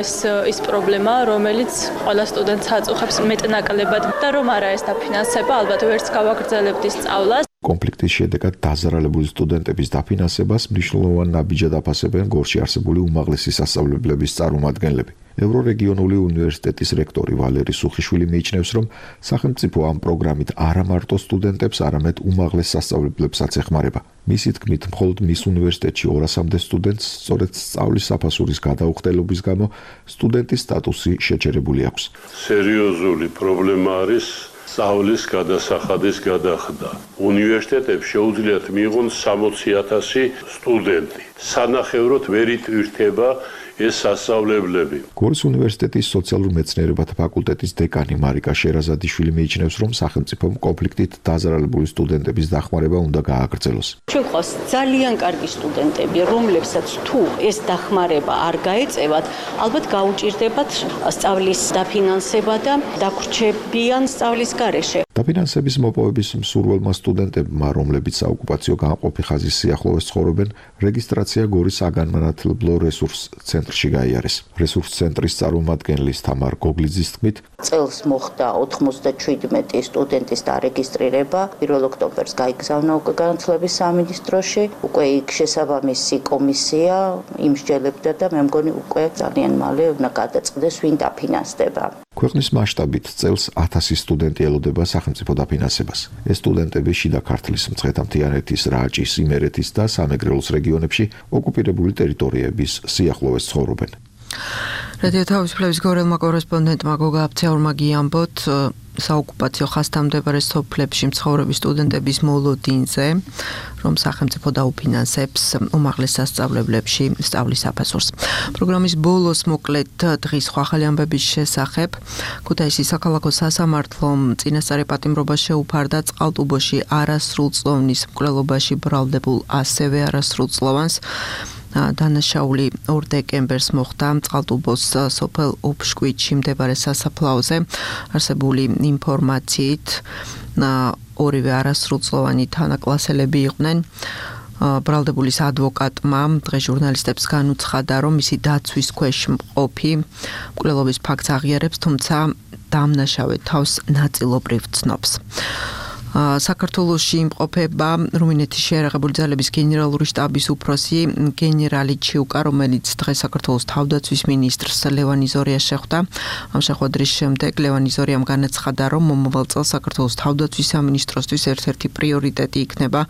ის პრობლემაა, რომელიც ყველა სტუდენტს აწუხებს მეტნაკლებად და რომ არა ეს დაფინანსება, ალბათ ვერც გავაგრძელებდი სწავლას. კონფლიქტის შედეგად დაზარალებული სტუდენტების დაფინანსებას მნიშვნელოვან ნაბიჯად აფასებენ გორში არსებული უმაღლესი სასწავლებლების წარმომადგენლები. ევრორეგიონული უნივერსიტეტის რექტორი ვალერი სუხიშვილი მიიჩნევს, რომ სახელმწიფო ამ პროგრამით არა მარტო სტუდენტებს, არამედ უმაღლეს სასწავლებლებსაც ეხმარება. მისი თქმით, მხოლოდ მის უნივერსიტეტში 200-მდე სტუდენტს სწორედ სწავლის საფასურის გადაუხდელობის გამო სტუდენტის სტატუსი შეჩერებული აქვს. სერიოზული პრობლემა არის სწავლის გადასახადის გადახდა. უნივერსიტეტებს შეუძლიათ მიიღონ 60,000 სტუდენტი. სანახევროდ ვერ იტვირთება ეს სასწავლებლები. გორის უნივერსიტეტის სოციალურ მეცნიერებათა ფაკულტეტის დეკანი მარიკა შერაზადიშვილი მიიჩნევს, რომ სახელმწიფომ კონფლიქტით დაზარალებული სტუდენტების დახმარება უნდა გააგრძელოს. ჩვენ ყავს ძალიან კარგი სტუდენტები, რომლებსაც თუ ეს დახმარება არ გაეწევათ, ალბათ გაუჭირდებათ სწავლის დაფინანსება და დაგვრჩებიან სწავლის გარეშე. დაფინანსების მოპოვების მსურველმა სტუდენტებმა, რომლებიც საოკუპაციო გამყოფი ხაზის სიახლოვეს ცხოვრობენ, რეგისტრაცია გორის საგანმანათლებლო რესურს ცენტრში გაიარეს. რესურს ცენტრის წარმომადგენლის თამარ გოგლიძის თქმით, წელს მოხდა 97 სტუდენტის დარეგისტრირება. 1 ოქტომბერს გაიგზავნა უკვე განათლების სამინისტროში. უკვე იქ შესაბამისი კომისია იმსჯელებდა და მე მგონი უკვე ძალიან მალე უნდა გადაწყდეს ვინ დაფინანსდება. ქვეყნის მასშტაბით წელს 1000 სტუდენტი ელოდება სახელმწიფო დაფინანსებას. ეს სტუდენტები შიდა ქართლის, მცხეთა-მთიანეთის, რაჭის, იმერეთის და სამეგრელოს რეგიონებში ოკუპირებული ტერიტორიების სიახლოვეს ცხოვრობენ. რადიო თავისუფლების გორელმა კორესპონდენტმა გოგა აფციაურმა გიამბოთ საოკუპაციო ხაზთან მდებარე სოფლებში მცხოვრები სტუდენტების მოლოდინზე, რომ სახელმწიფო დაუფინანსებს უმაღლეს სასწავლებლებში სწავლის საფასურს. პროგრამის ბოლოს მოკლედ დღის ახალი ამბების შესახებ ქუთაისის საქალაქო სასამართლომ წინასწარი პატიმრობა შეუფარდა წყალტუბოში არასრულწლოვნის მკვლელობაში ბრალდებულ ასევე არასრულწლოვანს. დანაშაული 2 დეკემბერს მოხდა წყალტუბოს სოფელ ოფშკვიცში მდებარე სასაფლაოზე. არსებული ინფორმაციით ორივე არასრულწლოვანი თანაკლასელები იყვნენ. ბრალდებულის ადვოკატმა დღეს ჟურნალისტებს განუცხადა, რომ მისი დაცვის ქვეშ მყოფი მკვლელობის ფაქტს აღიარებს, თუმცა დამნაშავე თავს ნაწილობრივ ცნობს. საქართველოში იმყოფება რუმინეთის შეიარაღებული ძალების გენერალური შტაბის უფროსი გენერალი ჩიუკა, რომელიც დღეს საქართველოს თავდაცვის მინისტრს ლევან იზორიას შეხვდა. ამ შეხვედრის შემდეგ ლევან იზორიამ განაცხადა, რომ მომავალ წელს საქართველოს თავდაცვის სამინისტროსთვის ერთ-ერთი პრიორიტეტი იქნება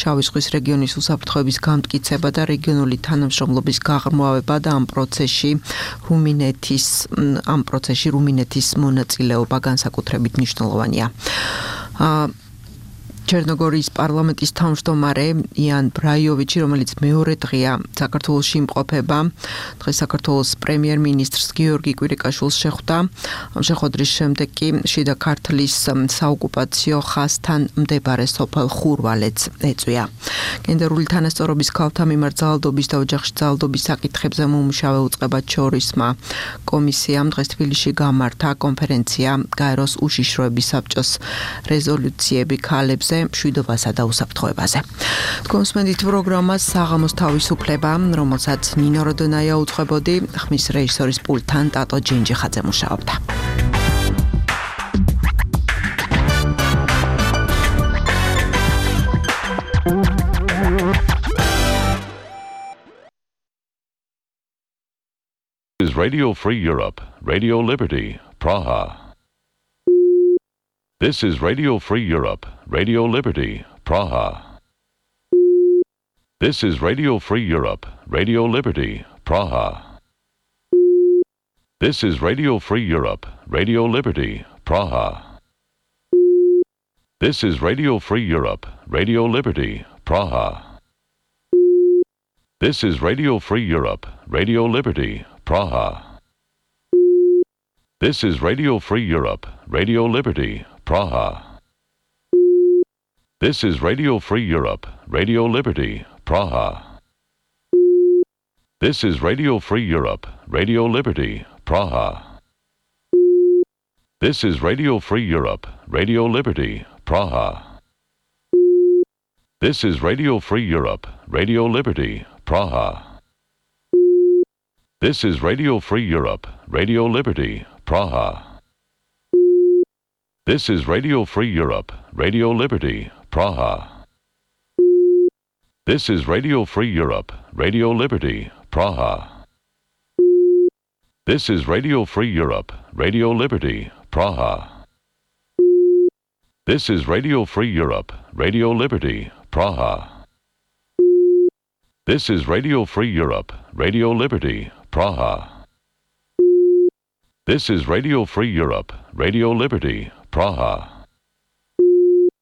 შავი ზღვის რეგიონის უსაფრთხოების გამტკიცება და რეგიონული თანამშრომლობის გაღრმავება და ამ პროცესში რუმინეთის მონაწილეობა განსაკუთრებით მნიშვნელოვანია. ჩერნოგორიის პარლამენტის თავმჯდომარე იან ბრაიოვიჩი, რომელიც მეორე დღეა საქართველოში იმყოფება, დღეს საქართველოს პრემიერ-მინისტრს გიორგი კვირიკაშვილს შეხვდა. ამ შეხვედრის შემდეგ კი შიდა ქართლის საოკუპაციო ხაზთან მდებარე სოფელ ხურვალეთს ეწვია. გენდერული თანასწორობის ქალთა მიმართ ძალადობის და ოჯახში ძალადობის საკითხებზე მომუშავე უწყებად შორისმა კომისიამ დღეს თბილისში გამართა კონფერენცია გაეროს უშიშროების საბჭოს რეზოლუციები ქალებზე მშვიდობასა და უსაფრთხოებაზე. თქვენსმენდით პროგრამას საღამოს თავისუფლება, რომელსაც ნინო როდონაია უძღვებოდი, ხმის რეჟისორის პულტთან ტატო ჯინჯიხაძე მუშაობდა. Is Radio Free Europe, Radio Liberty, Praha. This is Radio Free Europe, Radio Liberty, Praha. This is Radio Free Europe, Radio Liberty, Praha. This is Radio Free Europe, Radio Liberty, Praha. This is Radio Free Europe, Radio Liberty, Praha. This is Radio Free Europe, Radio Liberty, Praha. This is Radio Free Europe, Radio Liberty, Praha. This is Radio Free Europe, Radio Liberty, Praha. This is Radio Free Europe, Radio Liberty, Praha. This is Radio Free Europe, Radio Liberty, Praha. This is Radio Free Europe, Radio Liberty, Praha. This is Radio Free Europe, Radio Liberty, Praha. This is Radio Free Europe, Radio Liberty, Praha. This is Radio Free Europe, Radio Liberty, Praha. This is Radio Free Europe, Radio Liberty, Praha. This is Radio Free Europe, Radio Liberty, Praha. This is Radio Free Europe, Radio Liberty, Praha.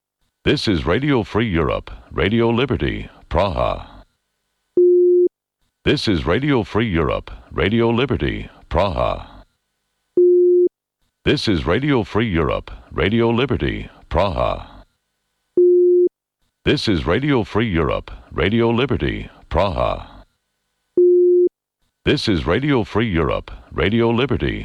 This is Radio Free Europe, Radio Liberty, Praha. This is Radio Free Europe, Radio Liberty, Praha. This is Radio Free Europe, Radio Liberty, Praha. This is Radio Free Europe, Radio Liberty, Praha. This is Radio Free Europe, Radio Liberty, Praha. This is Radio Free Europe, Radio Liberty,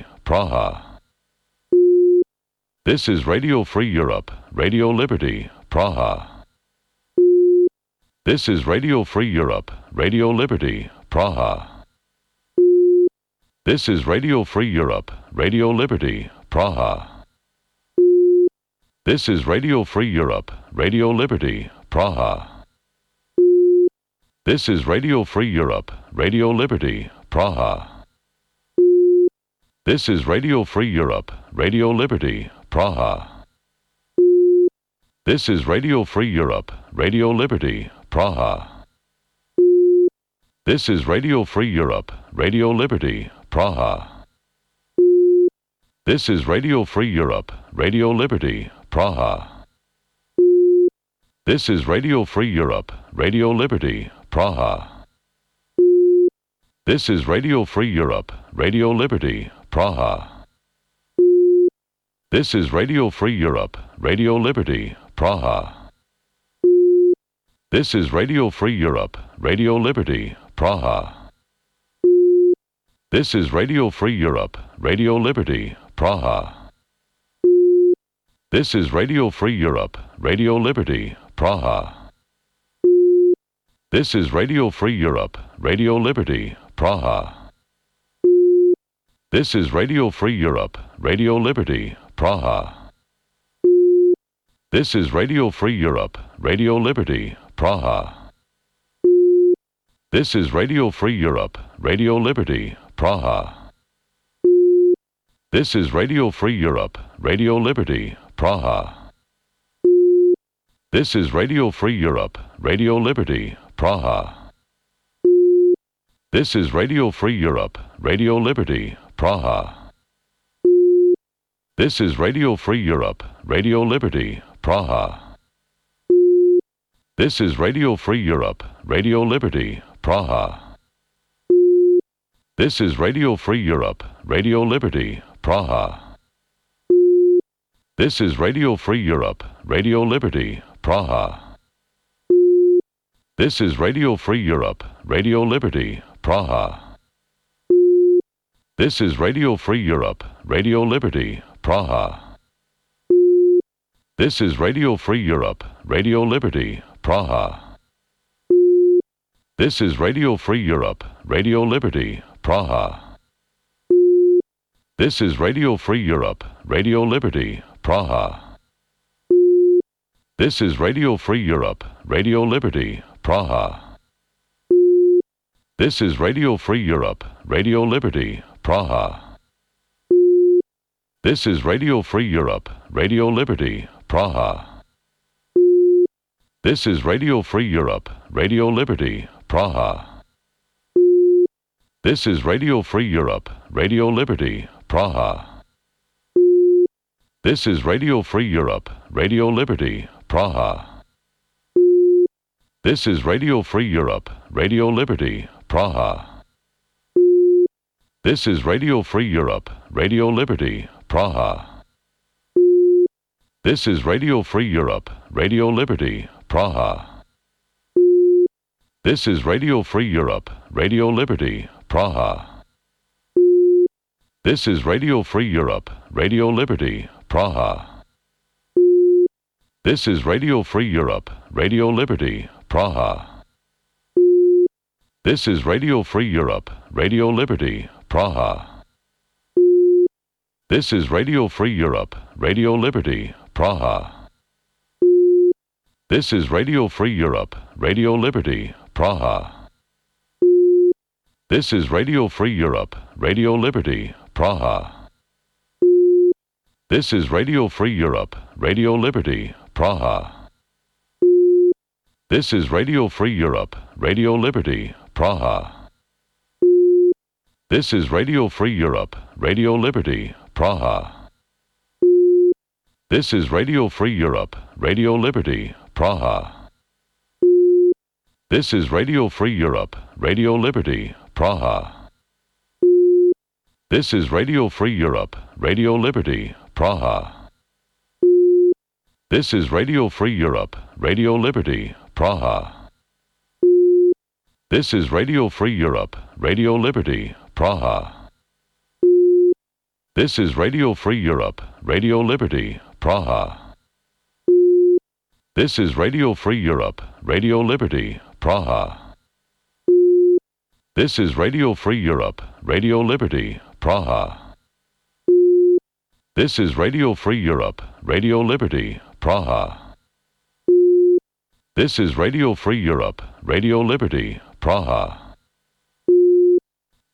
Praha. This is Radio Free Europe, Radio Liberty, Praha. This is Radio Free Europe, Radio Liberty, Praha. This is Radio Free Europe, Radio Liberty, Praha. This is Radio Free Europe, Radio Liberty, Praha. This is Radio Free Europe, Radio Liberty, Praha. This is Radio Free Europe, Radio Liberty, Praha. This is Radio Free Europe, Radio Liberty, Praha. This is Radio Free Europe, Radio Liberty, Praha. This is Radio Free Europe, Radio Liberty, Praha. This is Radio Free Europe, Radio Liberty, Praha. This is Radio Free Europe, Radio Liberty, Praha. This is Radio Free Europe, Radio Liberty, Praha. This is Radio Free Europe, Radio Liberty, Praha. This is Radio Free Europe, Radio Liberty, Praha. This is Radio Free Europe, Radio Liberty, Praha. This is Radio Free Europe, Radio Liberty, Praha. This is Radio Free Europe, Radio Liberty, Praha. This is Radio Free Europe, Radio Liberty, Praha. This is Radio Free Europe, Radio Liberty, Praha. This is Radio Free Europe, Radio Liberty, Praha. This is Radio Free Europe, Radio Liberty, Praha. This is Radio Free Europe, Radio Liberty, Praha. This is Radio Free Europe, Radio Liberty, Praha. This is Radio Free Europe, Radio Liberty, Praha. This is Radio Free Europe, Radio Liberty, Praha. This is Radio Free Europe, Radio Liberty, Praha. This is Radio Free Europe, Radio Liberty, Praha. This is Radio Free Europe, Radio Liberty, Praha. This is Radio Free Europe, Radio Liberty, Praha. This is Radio Free Europe, Radio Liberty, Praha. This is Radio Free Europe, Radio Liberty, Praha. This is Radio Free Europe, Radio Liberty, Praha. This is Radio Free Europe, Radio Liberty, Praha. This is Radio Free Europe, Radio Liberty, Praha. This is Radio Free Europe, Radio Liberty, Praha. This is Radio Free Europe, Radio Liberty, Praha. This is Radio Free Europe, Radio Liberty, Praha. This is Radio Free Europe, Radio Liberty, Praha. This is Radio Free Europe, Radio Liberty, Praha. This is Radio Free Europe, Radio Liberty, Praha. This is Radio Free Europe, Radio Liberty, Praha. This is Radio Free Europe, Radio Liberty, Praha. This is Radio Free Europe, Radio Liberty, Praha. This is Radio Free Europe, Radio Liberty, Praha. This is Radio Free Europe, Radio Liberty, Praha. This is Radio Free Europe, Radio Liberty, Praha. This is Radio Free Europe, Radio Liberty, Praha. This is Radio Free Europe, Radio Liberty, Praha. This is Radio Free Europe, Radio Liberty, Praha. This is Radio Free Europe, Radio Liberty, Praha. This is Radio Free Europe, Radio Liberty, Praha. This is Radio Free Europe, Radio Liberty, Praha. This is Radio Free Europe, Radio Liberty, Praha. This is Radio Free Europe, Radio Liberty, Praha. This is Radio Free Europe, Radio Liberty, Praha. This is Radio Free Europe, Radio Liberty, Praha. This is Radio Free Europe, Radio Liberty, Praha. This is Radio Free Europe, Radio Liberty, Praha. This is Radio Free Europe, Radio Liberty, Praha. This is Radio Free Europe, Radio Liberty, Praha.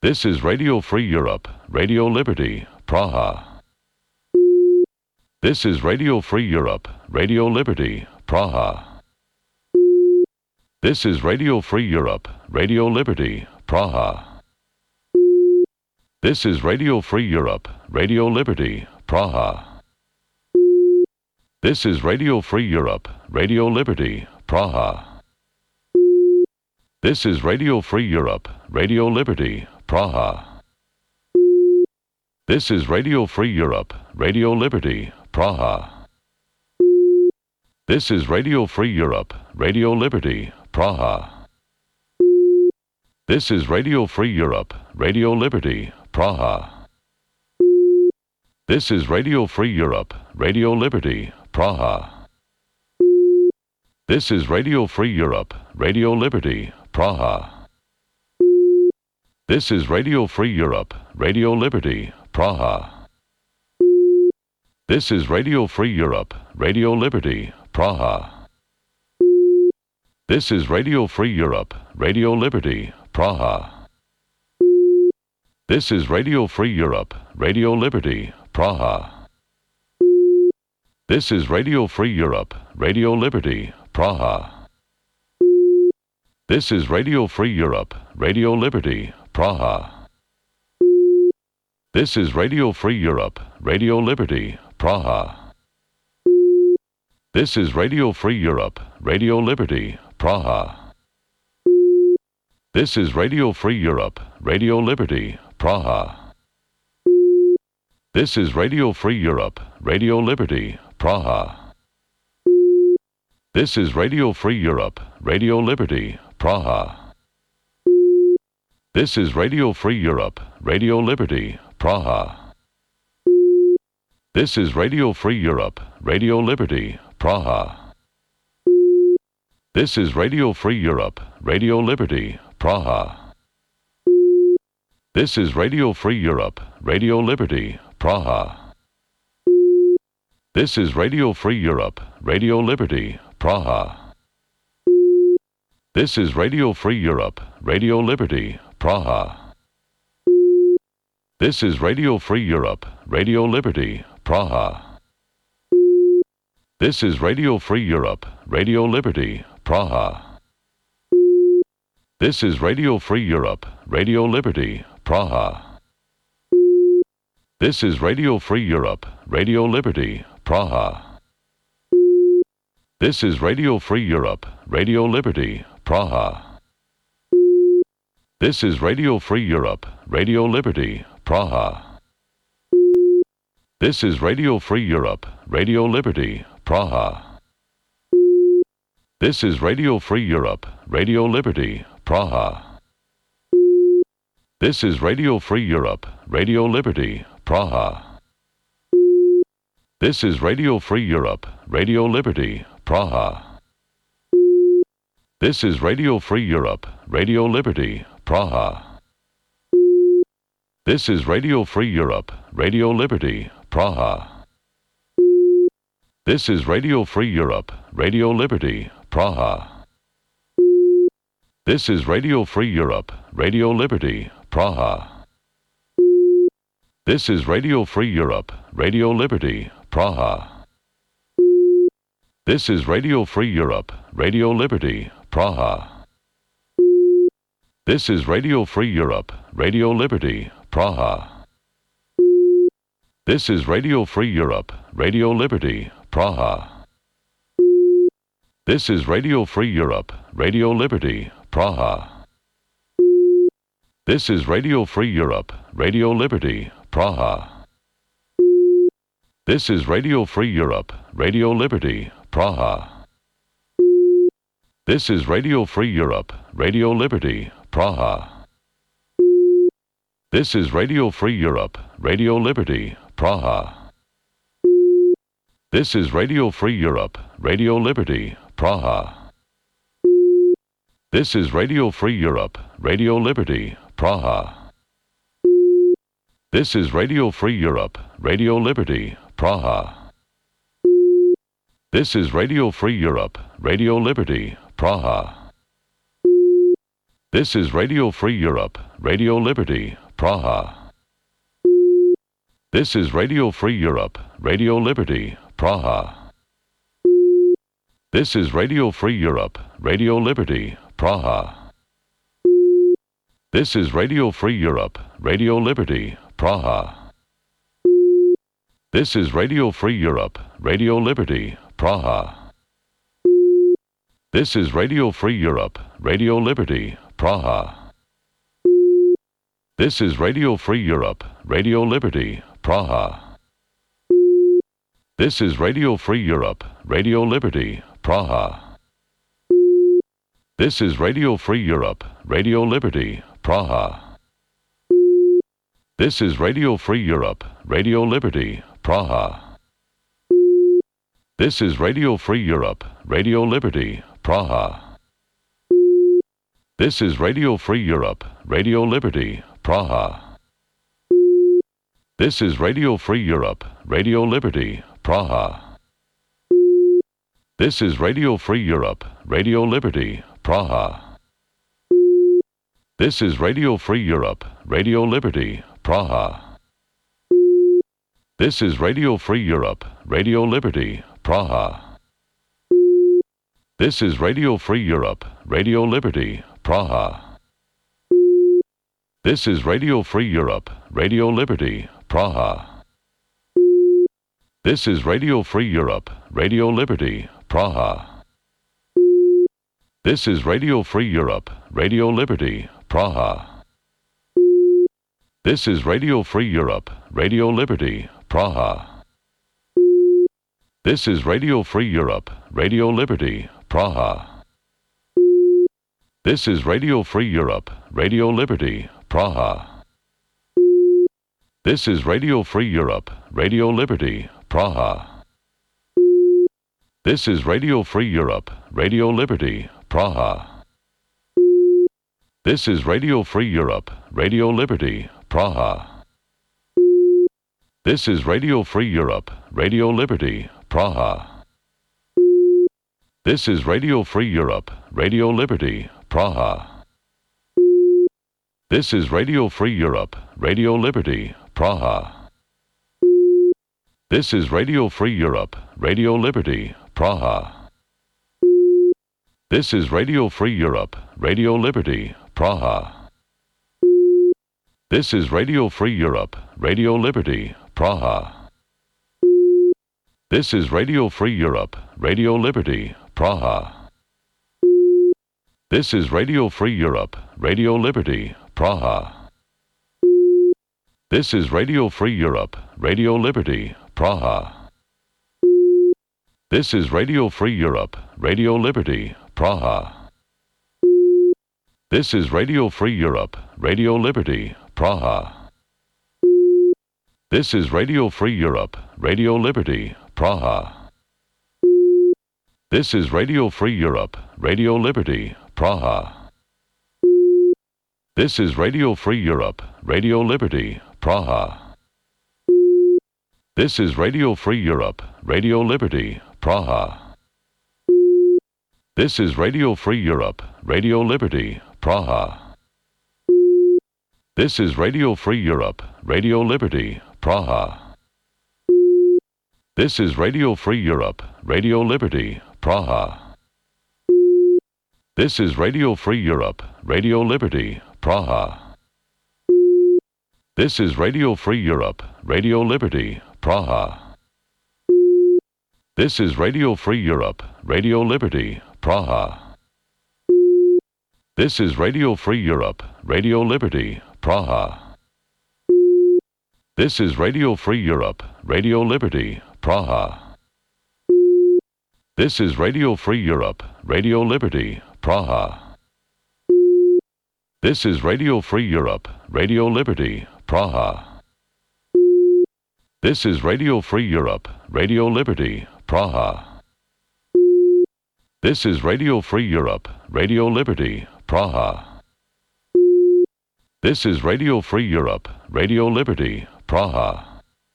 This is Radio Free Europe, Radio Liberty, Praha. This is Radio Free Europe, Radio Liberty, Praha. This is Radio Free Europe, Radio Liberty, Praha. This is Radio Free Europe, Radio Liberty, Praha. This is Radio Free Europe, Radio Liberty, Praha. This is Radio Free Europe, Radio Liberty, Praha. This is Radio Free Europe, Radio Liberty, Praha. This is Radio Free Europe, Radio Liberty, Praha. This is Radio Free Europe, Radio Liberty, Praha. This is Radio Free Europe, Radio Liberty, Praha. This is Radio Free Europe, Radio Liberty, Praha. This is Radio Free Europe, Radio Liberty, Praha. This is Radio Free Europe, Radio Liberty, Praha. This is Radio Free Europe, Radio Liberty, Praha. This is Radio Free Europe, Radio Liberty, Praha. This is Radio Free Europe, Radio Liberty, Praha. This is Radio Free Europe, Radio Liberty, Praha. This is Radio Free Europe, Radio Liberty, Praha. This is Radio Free Europe, Radio Liberty, Praha. This is Radio Free Europe, Radio Liberty, Praha. This is Radio Free Europe, Radio Liberty, Praha. This is Radio Free Europe, Radio Liberty, Praha. This is Radio Free Europe, Radio Liberty, Praha. This is Radio Free Europe, Radio Liberty, Praha. This is Radio Free Europe, Radio Liberty, Praha. This is Radio Free Europe, Radio Liberty, Praha. This is Radio Free Europe, Radio Liberty, Praha. This is Radio Free Europe, Radio Liberty, Praha. This is Radio Free Europe, Radio Liberty, Praha. This is Radio Free Europe, Radio Liberty, Praha. This is Radio Free Europe, Radio Liberty, Praha. This is Radio Free Europe, Radio Liberty, Praha. This is Radio Free Europe, Radio Liberty, Praha. This is Radio Free Europe, Radio Liberty, Praha. This is Radio Free Europe, Radio Liberty, Praha. This is Radio Free Europe, Radio Liberty, Praha. This is Radio Free Europe, Radio Liberty, Praha. This is Radio Free Europe, Radio Liberty, Praha. This is Radio Free Europe, Radio Liberty, Praha. This is Radio Free Europe, Radio Liberty, Praha. This is Radio Free Europe, Radio Liberty, Praha. This is Radio Free Europe, Radio Liberty, Praha. This is Radio Free Europe, Radio Liberty, Praha. This is Radio Free Europe, Radio Liberty, Praha. This is Radio Free Europe, Radio Liberty, Praha. This is Radio Free Europe, Radio Liberty, Praha. This is Radio Free Europe, Radio Liberty, Praha. This is Radio Free Europe, Radio Liberty, Praha. This is Radio Free Europe, Radio Liberty, Praha. This is Radio Free Europe, Radio Liberty, Praha. This is Radio Free Europe, Radio Liberty, Praha. This is Radio Free Europe, Radio Liberty, Praha. This is Radio Free Europe, Radio Liberty, Praha. This is Radio Free Europe, Radio Liberty, Praha. This is Radio Free Europe, Radio Liberty, Praha. This is Radio Free Europe, Radio Liberty, Praha. This is Radio Free Europe, Radio Liberty, Praha. This is Radio Free Europe, Radio Liberty, Praha. This is Radio Free Europe, Radio Liberty, Praha. This is Radio Free Europe, Radio Liberty, Praha. This is Radio Free Europe, Radio Liberty, Praha. This is Radio Free Europe, Radio Liberty, Praha. This is Radio Free Europe, Radio Liberty, Praha. This is Radio Free Europe, Radio Liberty, Praha. This is Radio Free Europe, Radio Liberty, Praha. This is Radio Free Europe, Radio Liberty, Praha. This is Radio Free Europe, Radio Liberty, Praha. This is Radio Free Europe, Radio Liberty, Praha. This is Radio Free Europe, Radio Liberty, Praha. This is Radio Free Europe, Radio Liberty, Praha. This is Radio Free Europe, Radio Liberty, Praha. This is Radio Free Europe, Radio Liberty, Praha. This is Radio Free Europe, Radio Liberty, Praha. This is Radio Free Europe, Radio Liberty, Praha. This is Radio Free Europe, Radio Liberty, Praha. This is Radio Free Europe, Radio Liberty, Praha. This is Radio Free Europe, Radio Liberty, Praha. This is Radio Free Europe, Radio Liberty, Praha. This is Radio Free Europe, Radio Liberty, Praha. This is Radio Free Europe, Radio Liberty, Praha. This is Radio Free Europe, Radio Liberty, Praha. This is Radio Free Europe, Radio Liberty, Praha. This is Radio Free Europe, Radio Liberty, Praha. This is Radio Free Europe, Radio Liberty, Praha. This is Radio Free Europe, Radio Liberty, Praha. This is Radio Free Europe, Radio Liberty, Praha. This is Radio Free Europe, Radio Liberty, Praha. This is Radio Free Europe, Radio Liberty, Praha. This is Radio Free Europe, Radio Liberty, Praha. This is Radio Free Europe, Radio Liberty, Praha. This is Radio Free Europe, Radio Liberty, Praha. This is Radio Free Europe, Radio Liberty, Praha. This is Radio Free Europe, Radio Liberty, Praha. This is Radio Free Europe, Radio Liberty, Praha. This is Radio Free Europe, Radio Liberty, Praha. This is Radio Free Europe, Radio Liberty, Praha. This is Radio Free Europe, Radio Liberty, Praha. This is Radio Free Europe, Radio Liberty, Praha. This is Radio Free Europe, Radio Liberty, Praha. This is Radio Free Europe, Radio Liberty, Praha. This is Radio Free Europe, Radio Liberty, Praha. This is Radio Free Europe, Radio Liberty, Praha. This is Radio Free Europe, Radio Liberty, Praha. This is Radio Free Europe, Radio Liberty, Praha. This is Radio Free Europe, Radio Liberty, Praha. This is Radio Free Europe, Radio Liberty, Praha. This is Radio Free Europe, Radio Liberty, Praha. This is Radio Free Europe, Radio Liberty, Praha. This is Radio Free Europe, Radio Liberty, Praha.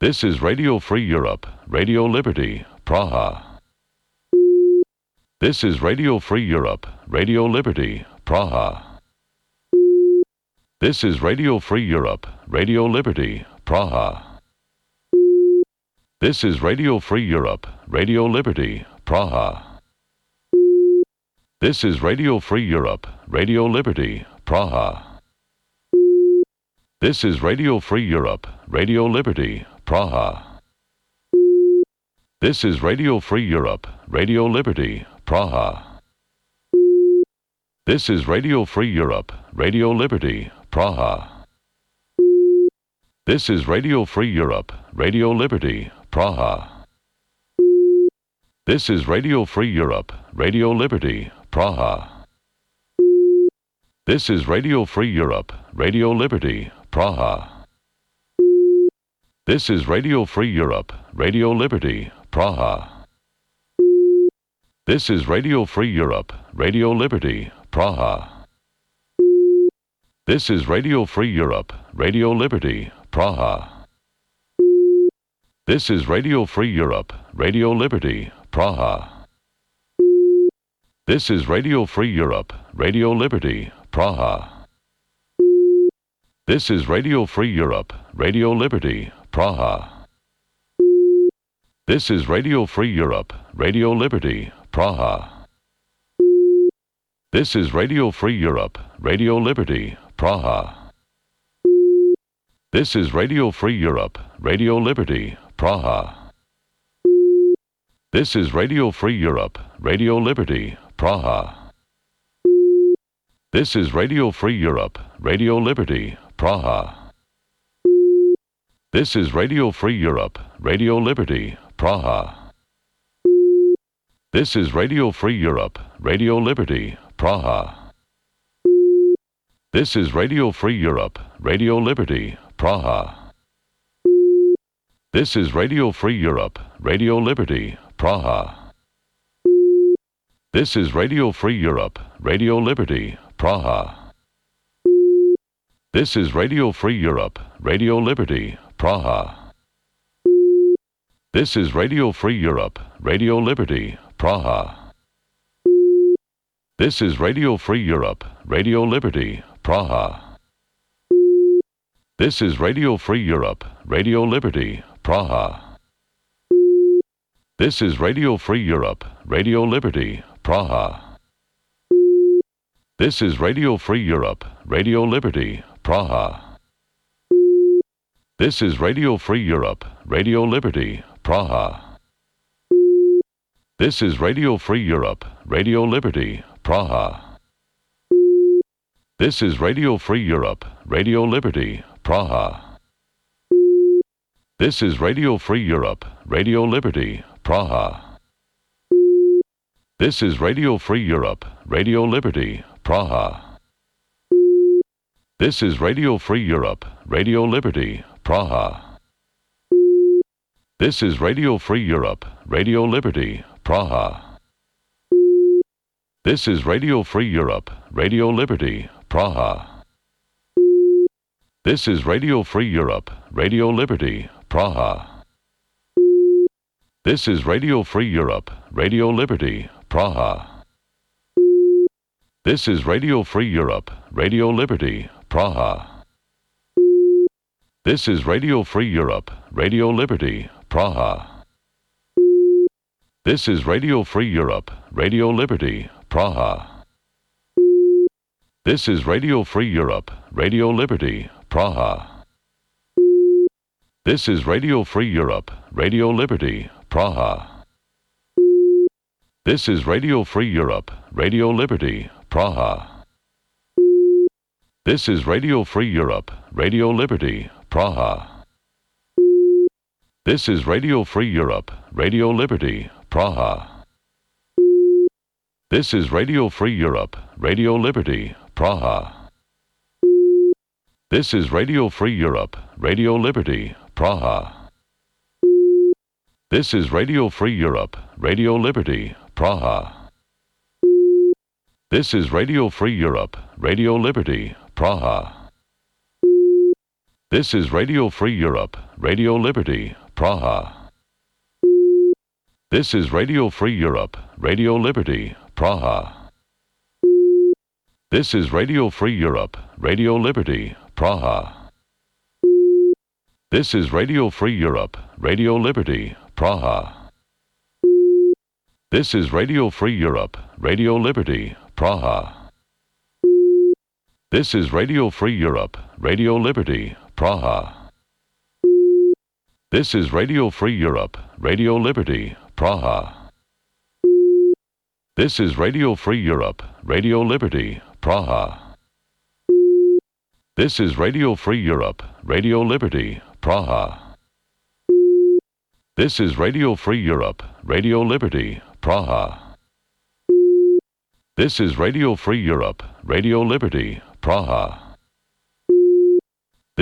This is Radio Free Europe, Radio Liberty, Praha. This is Radio Free Europe, Radio Liberty, Praha. This is Radio Free Europe, Radio Liberty, Praha. This is Radio Free Europe, Radio Liberty, Praha. This is Radio Free Europe, Radio Liberty, Praha. This is Radio Free Europe, Radio Liberty, Praha. This is Radio Free Europe, Radio Liberty, Praha. This is Radio Free Europe, Radio Liberty, Praha. This is Radio Free Europe, Radio Liberty, Praha. This is Radio Free Europe, Radio Liberty, Praha. This is Radio Free Europe, Radio Liberty, Praha. This is Radio Free Europe, Radio Liberty, Praha. This is Radio Free Europe, Radio Liberty, Praha. This is Radio Free Europe, Radio Liberty, Praha. This is Radio Free Europe, Radio Liberty, Praha. This is Radio Free Europe, Radio Liberty, Praha. This is Radio Free Europe, Radio Liberty, Praha. This is Radio Free Europe, Radio Liberty, Praha. This is Radio Free Europe, Radio Liberty, Praha. This is Radio Free Europe, Radio Liberty, Praha. This is Radio Free Europe, Radio Liberty, Praha. This is Radio Free Europe, Radio Liberty, Praha. This is Radio Free Europe, Radio Liberty, Praha. This is Radio Free Europe, Radio Liberty, Praha. This is Radio Free Europe, Radio Liberty, Praha. This is Radio Free Europe, Radio Liberty, Praha. This is Radio Free Europe, Radio Liberty, Praha. This is Radio Free Europe, Radio Liberty, Praha. This is Radio Free Europe, Radio Liberty, Praha. This is Radio Free Europe, Radio Liberty, Praha. This is Radio Free Europe, Radio Liberty, Praha. This is Radio Free Europe, Radio Liberty, Praha. This is Radio Free Europe, Radio Liberty, Praha. This is Radio Free Europe, Radio Liberty, Praha. This is Radio Free Europe, Radio Liberty, Praha. This is Radio Free Europe, Radio Liberty, Praha. This is Radio Free Europe, Radio Liberty, Praha. This is Radio Free Europe, Radio Liberty, Praha. This is Radio Free Europe, Radio Liberty, Praha. This is Radio Free Europe, Radio Liberty, Praha. This is Radio Free Europe, Radio Liberty, Praha. This is Radio Free Europe, Radio Liberty, Praha. This is Radio Free Europe, Radio Liberty, Praha. This is Radio Free Europe, Radio Liberty, Praha. This is Radio Free Europe, Radio Liberty, Praha. This is Radio Free Europe, Radio Liberty, Praha. This is Radio Free Europe, Radio Liberty, Praha. This is Radio Free Europe, Radio Liberty, Praha. This is Radio Free Europe, Radio Liberty, Praha. This is Radio Free Europe, Radio Liberty, Praha. This is Radio Free Europe, Radio Liberty, Praha. This is Radio Free Europe, Radio Liberty, Praha. This is Radio Free Europe, Radio Liberty, Praha. This is Radio Free Europe, Radio Liberty, Praha. This is Radio Free Europe, Radio Liberty, Praha. This is Radio Free Europe, Radio Liberty, Praha. This is Radio Free Europe, Radio Liberty, Praha. This is Radio Free Europe, Radio Liberty, Praha. This is Radio Free Europe, Radio Liberty, Praha. This is Radio Free Europe, Radio Liberty, Praha. This is Radio Free Europe, Radio Liberty, Praha. This is Radio Free Europe, Radio Liberty, Praha. This is Radio Free Europe, Radio Liberty, Praha. This is Radio Free Europe, Radio Liberty, Praha. This is Radio Free Europe, Radio Liberty, Praha. This is Radio Free Europe, Radio Liberty, Praha.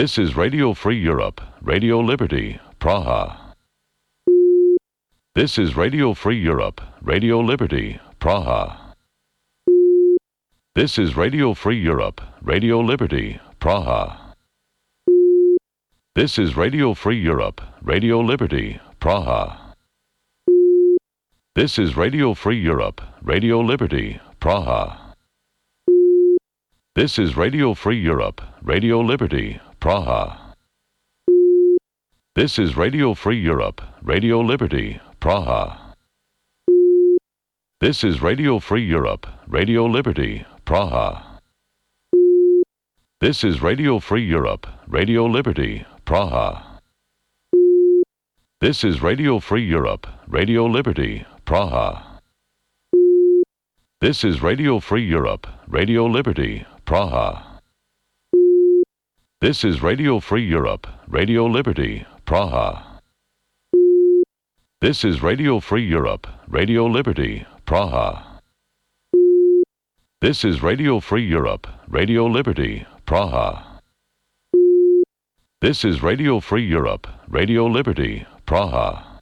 This is Radio Free Europe, Radio Liberty, Praha. This is Radio Free Europe, Radio Liberty, Praha. This is Radio Free Europe, Radio Liberty, Praha. This is Radio Free Europe, Radio Liberty, Praha. This is Radio Free Europe, Radio Liberty, Praha. This is Radio Free Europe, Radio Liberty, Praha. This is Radio Free Europe, Radio Liberty, Praha. This is Radio Free Europe, Radio Liberty, Praha. This is Radio Free Europe, Radio Liberty, Praha. This is Radio Free Europe, Radio Liberty, Praha. This is Radio Free Europe, Radio Liberty, Praha. This is Radio Free Europe, Radio Liberty, Praha. This is Radio Free Europe, Radio Liberty, Praha. This is Radio Free Europe, Radio Liberty, Praha. This is Radio Free Europe, Radio Liberty, Praha.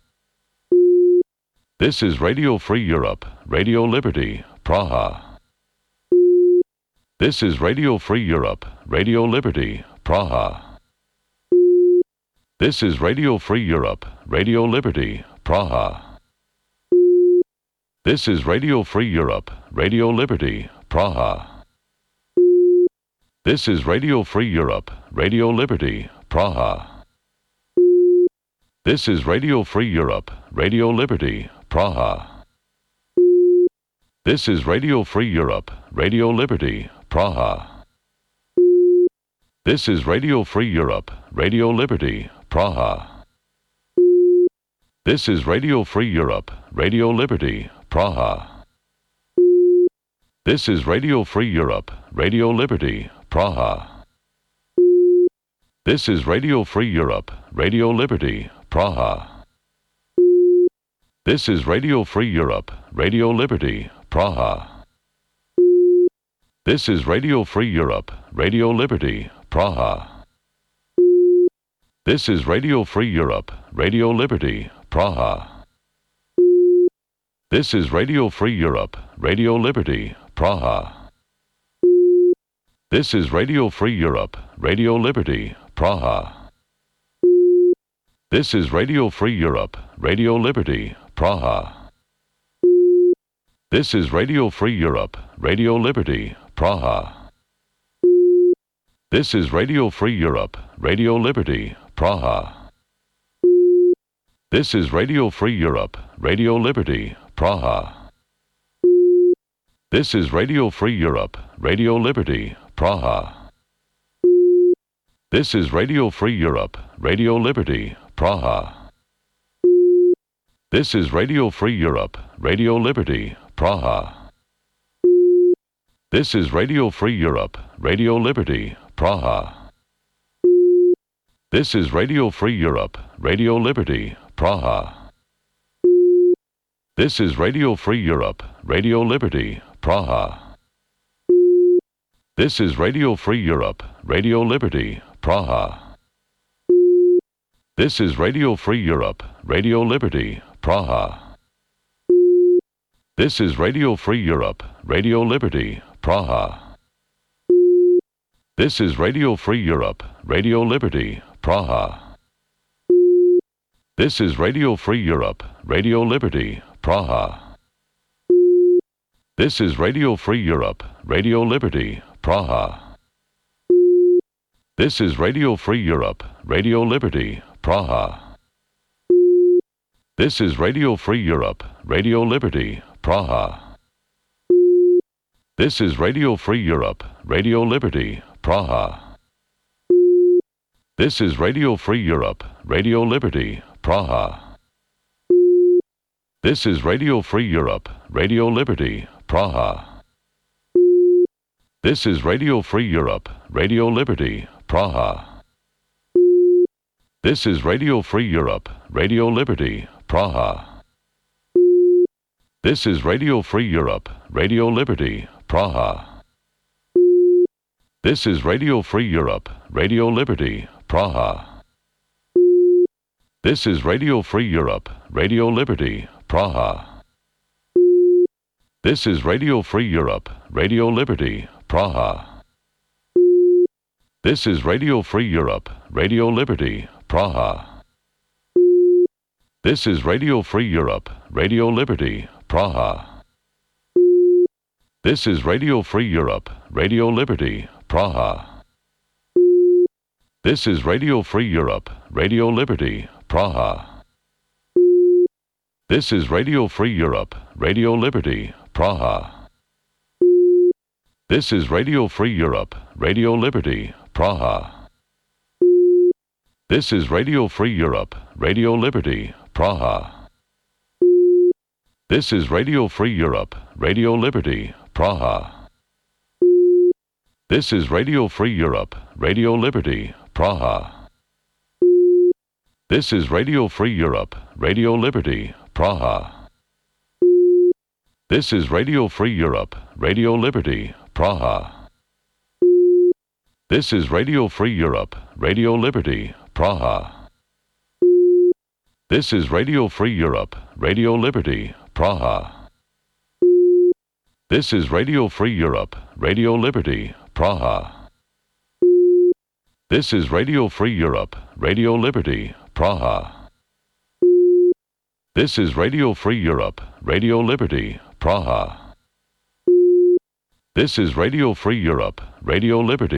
This is Radio Free Europe, Radio Liberty, Praha. This is Radio Free Europe, Radio Liberty, Praha. This is Radio Free Europe, Radio Liberty, Praha. This is Radio Free Europe, Radio Liberty, Praha. This is Radio Free Europe, Radio Liberty, Praha. This is Radio Free Europe, Radio Liberty, Praha. This is Radio Free Europe, Radio Liberty, Praha. This is Radio Free Europe, Radio Liberty, Praha. This is Radio Free Europe, Radio Liberty, Praha. This is Radio Free Europe, Radio Liberty, Praha. This is Radio Free Europe, Radio Liberty, Praha. This is Radio Free Europe, Radio Liberty, Praha. This is Radio Free Europe, Radio Liberty, Praha. This is Radio Free Europe, Radio Liberty, Praha. This is Radio Free Europe, Radio Liberty, Praha. This is Radio Free Europe, Radio Liberty, Praha. This is Radio Free Europe, Radio Liberty, Praha. This is Radio Free Europe, Radio Liberty, Praha. This is Radio Free Europe, Radio Liberty, Praha. This is Radio Free Europe, Radio Liberty, Praha. This is Radio Free Europe, Radio Liberty, Praha. This is Radio Free Europe, Radio Liberty, Praha. This is Radio Free Europe, Radio Liberty, Praha. This is Radio Free Europe, Radio Liberty, Praha. This is Radio Free Europe, Radio Liberty, Praha. This is Radio Free Europe, Radio Liberty, Praha. This is Radio Free Europe, Radio Liberty, Praha. This is Radio Free Europe, Radio Liberty, Praha. This is Radio Free Europe, Radio Liberty, Praha. This is Radio Free Europe, Radio Liberty, Praha. This is Radio Free Europe, Radio Liberty, Praha. This is Radio Free Europe, Radio Liberty, Praha. This is Radio Free Europe, Radio Liberty, Praha. This is Radio Free Europe, Radio Liberty, Praha. This is Radio Free Europe, Radio Liberty, Praha. This is Radio Free Europe, Radio Liberty, Praha. This is Radio Free Europe, Radio Liberty, Praha. This is Radio Free Europe, Radio Liberty, Praha. This is Radio Free Europe, Radio Liberty, Praha. This is Radio Free Europe, Radio Liberty, Praha. This is Radio Free Europe, Radio Liberty, Praha. This is Radio Free Europe, Radio Liberty, Praha. This is Radio Free Europe, Radio Liberty, Praha. This is Radio Free Europe, Radio Liberty, Praha. This is Radio Free Europe, Radio Liberty, Praha. This is Radio Free Europe, Radio Liberty, Praha. This is Radio Free Europe, Radio Liberty, Praha. This is Radio Free Europe, Radio Liberty, Praha. This is Radio Free Europe, Radio Liberty, Praha. This is Radio Free Europe, Radio Liberty, Praha. This is Radio Free Europe, Radio Liberty, Praha. This is Radio Free Europe, Radio Liberty, Praha. This is Radio Free Europe, Radio Liberty, Praha. This is Radio Free Europe, Radio Liberty, Praha. This is Radio Free Europe, Radio Liberty, Praha. This is Radio Free Europe, Radio Liberty, Praha. This is Radio Free Europe, Radio Liberty, Praha. This is Radio Free Europe, Radio Liberty, Praha. This is Radio Free Europe, Radio Liberty, Praha. This is Radio Free Europe, Radio Liberty.